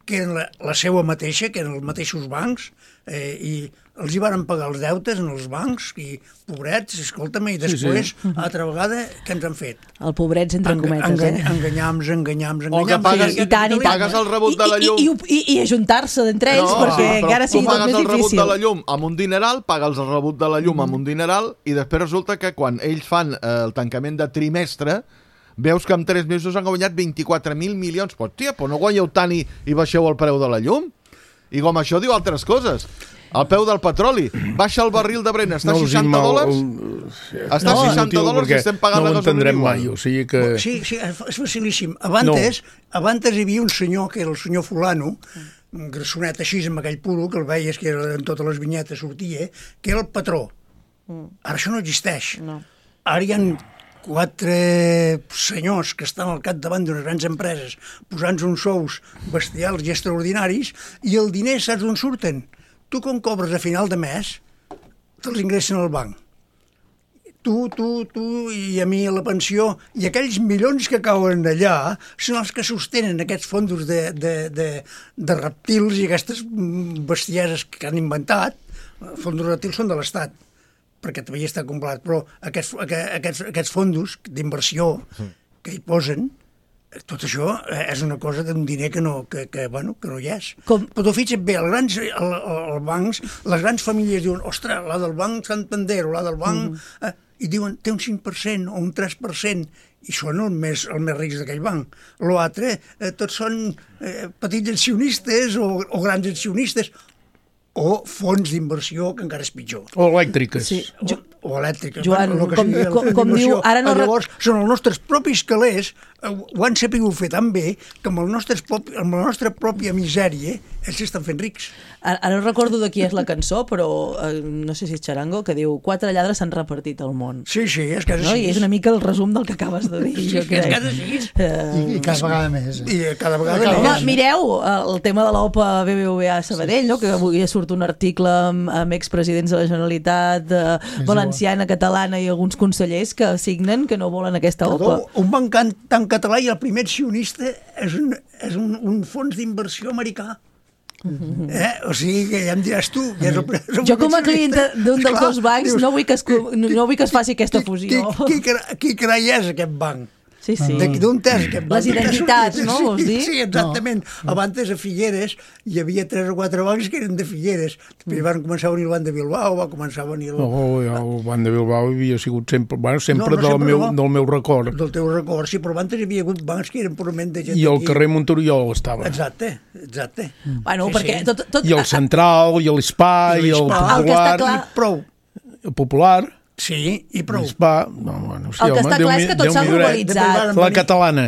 que eren la, la seva mateixa, que eren els mateixos bancs, eh, i els hi van pagar els deutes en els bancs, i pobrets, escolta'm, i després, sí, sí. altra vegada, què ens han fet? El pobrets, entre cometes, engany, eh? Enganyams, enganyams, enganyams. O que pagues, sí, i tant, i tant. pagues el rebut de la llum. I, i, i, i ajuntar-se d'entre ells, no, perquè però encara sigui tot més difícil. Tu pagues el rebut de la llum amb un dineral, pagues el rebut de la llum mm. amb un dineral, i després resulta que quan ells fan eh, el tancament de trimestre, veus que en tres mesos han guanyat vint-i-quatre mil milions. Pues, tia, però no guanyeu tant i, i baixeu el preu de la llum? I com això diu altres coses. El peu del petroli. Baixa el barril de Brent. Està a seixanta dòlars? Està a seixanta dòlars i estem pagant la gasolina igual. Mai, o sigui que... Sí, sí, és facilíssim. Abans, no. abans hi havia un senyor, que era el senyor fulano, un grassonet així amb aquell puro, que el veies que era, en totes les vinyetes sortia, que era el patró. Ara això no existeix. No. Ara hi ha quatre senyors que estan al capdavant d'unes grans empreses posant uns sous bestials i extraordinaris, i el diner saps d'on surten? Tu, com cobres a final de mes, te'ls ingressen al banc. Tu, tu, tu i a mi a la pensió, i aquells milions que cauen allà són els que sostenen aquests fondos de, de, de, de reptils i aquestes bestieses que han inventat. Els fondos reptils són de l'Estat, perquè també hi està complet, però aquests, aquests, aquests fondos d'inversió que hi posen, tot això és una cosa d'un diner que no, que, que, bueno, que no hi és. Com? Però tu fixa't bé, els grans el, el bancs, les grans famílies diuen, ostres, la del banc Santander o la del banc... Mm. Eh, i diuen, té un cinc per cent o un tres per cent, i són els més, els més rics d'aquell banc. L'altre, eh, tots són eh, petits accionistes o, o grans accionistes, o fons d'inversió, que encara és pitjor. O elèctriques. Sí, o, o elèctriques. Joan, bueno, com, com, com diu... Ara no Llavors, són els nostres propis calés, eh, ho han sapigut fer tan bé, que amb, el nostre propi, amb la nostra pròpia misèria ells s'estan fent rics. Ara, ara no recordo de qui és la cançó, però eh, no sé si és Charango, que diu quatre lladres s'han repartit al món. Sí, sí, és que és no? I és una mica el resum del que acabes de dir. Sí, jo crec. És que és així. Uh, I, I cada vegada més. Eh? I cada vegada Home, més. mireu el tema de l'OPA B B V A Sabadell, no? Que avui surt un article amb, amb expresidents de la Generalitat, eh, valenciana, catalana i alguns consellers que signen que no volen aquesta OPA. Perdó, un banc tan català i el primer accionista és un, és un, un fons d'inversió americà. Eh? O sigui, que ja em diràs tu. Ja és el, és el jo com a client d'un dels dos bancs dius, no, vull que es, no vull que es faci aquesta fusió. Qui, qui, qui carai és aquest banc? Sí, sí. D'on és aquest banc? Les identitats, no? Sí, vols dir? sí, exactament. No. Abans a Figueres hi havia tres o quatre bancs que eren de Figueres. Després van començar a venir el banc de Bilbao, va començar a venir... El... No, el banc de Bilbao havia sigut sempre, bueno, sempre, no, no, del, sempre meu, no. del meu record. Del teu record, sí, però abans hi havia hagut bancs que eren purament de gent I el aquí. carrer Montoriol estava. Exacte, exacte. Mm. Bueno, sí, perquè sí. Tot, tot... I el Central, i l'Spa, i el Popular. El que està clar... I prou. El Popular... Sí, i prou. L'Spa... No, bueno, sí, el que home, està clar és que tot s'ha globalitzat. La catalana.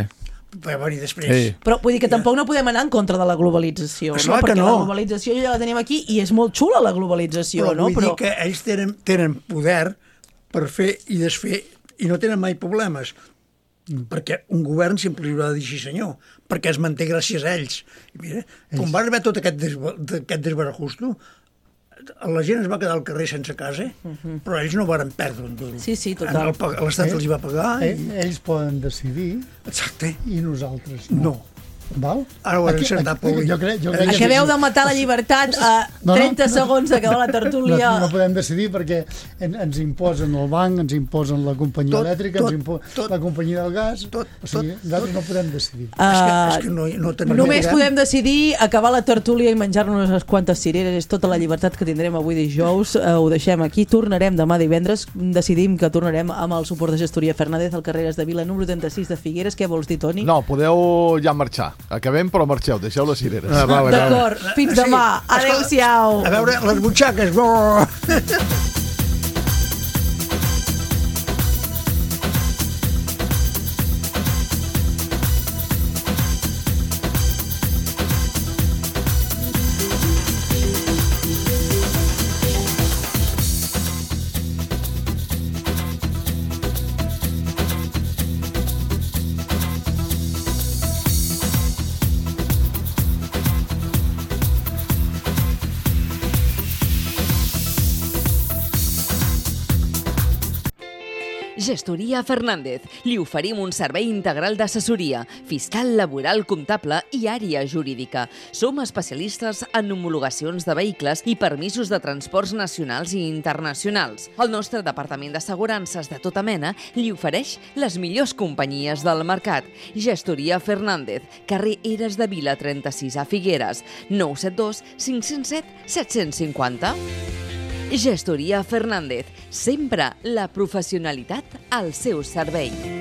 Va venir després. Sí. Però vull dir que tampoc no podem anar en contra de la globalització, no? Perquè no. la globalització ja la tenim aquí i és molt xula la globalització, però no? Vull però dir que ells tenen, tenen poder per fer i desfer i no tenen mai problemes, perquè un govern sempre li haurà de dir sí senyor, perquè es manté gràcies a ells. I mira, com va arribar tot aquest, des, aquest desbarajusto, la gent es va quedar al carrer sense casa, uh-huh. però ells no van perdre un duro. Sí, sí, total. L'Estat els hi va pagar. Eh, i... Ells poden decidir. Exacte. I nosaltres no. no. Val? Ara ho han encertat, Pol. Jo crec, jo crec Acabeu de matar la llibertat a trenta no, no, segons d'acabar la tertúlia. No, no podem decidir perquè en, ens imposen el banc, ens imposen la companyia tot, elèctrica, tot, ens imposen la companyia del gas. Tot, o sigui, tot, nosaltres tot. no podem decidir. Uh, és que, és que no, no tenim només podem. podem decidir acabar la tertúlia i menjar-nos unes quantes cireres. És tota la llibertat que tindrem avui dijous. Uh, ho deixem aquí. Tornarem demà divendres. Decidim que tornarem amb el suport de gestoria Fernández al carrer de Vila, número trenta-sis de Figueres. Què vols dir, Toni? No, podeu ja marxar. Acabem, però marxeu, deixeu les cireres. Ah, vale, d'acord, vale. Fins demà. Sí. Adéu-siau. A veure, les butxaques. Gestoria Fernández. Li oferim un servei integral d'assessoria, fiscal, laboral, comptable i àrea jurídica. Som especialistes en homologacions de vehicles i permisos de transports nacionals i internacionals. El nostre departament d'assegurances de tota mena li ofereix les millors companyies del mercat. Gestoria Fernández, carrer Eres de Vila trenta-sis a Figueres, nou set dos cinc zero set set cinc zero. Gestoria Fernández, sempre la professionalitat al seu servei.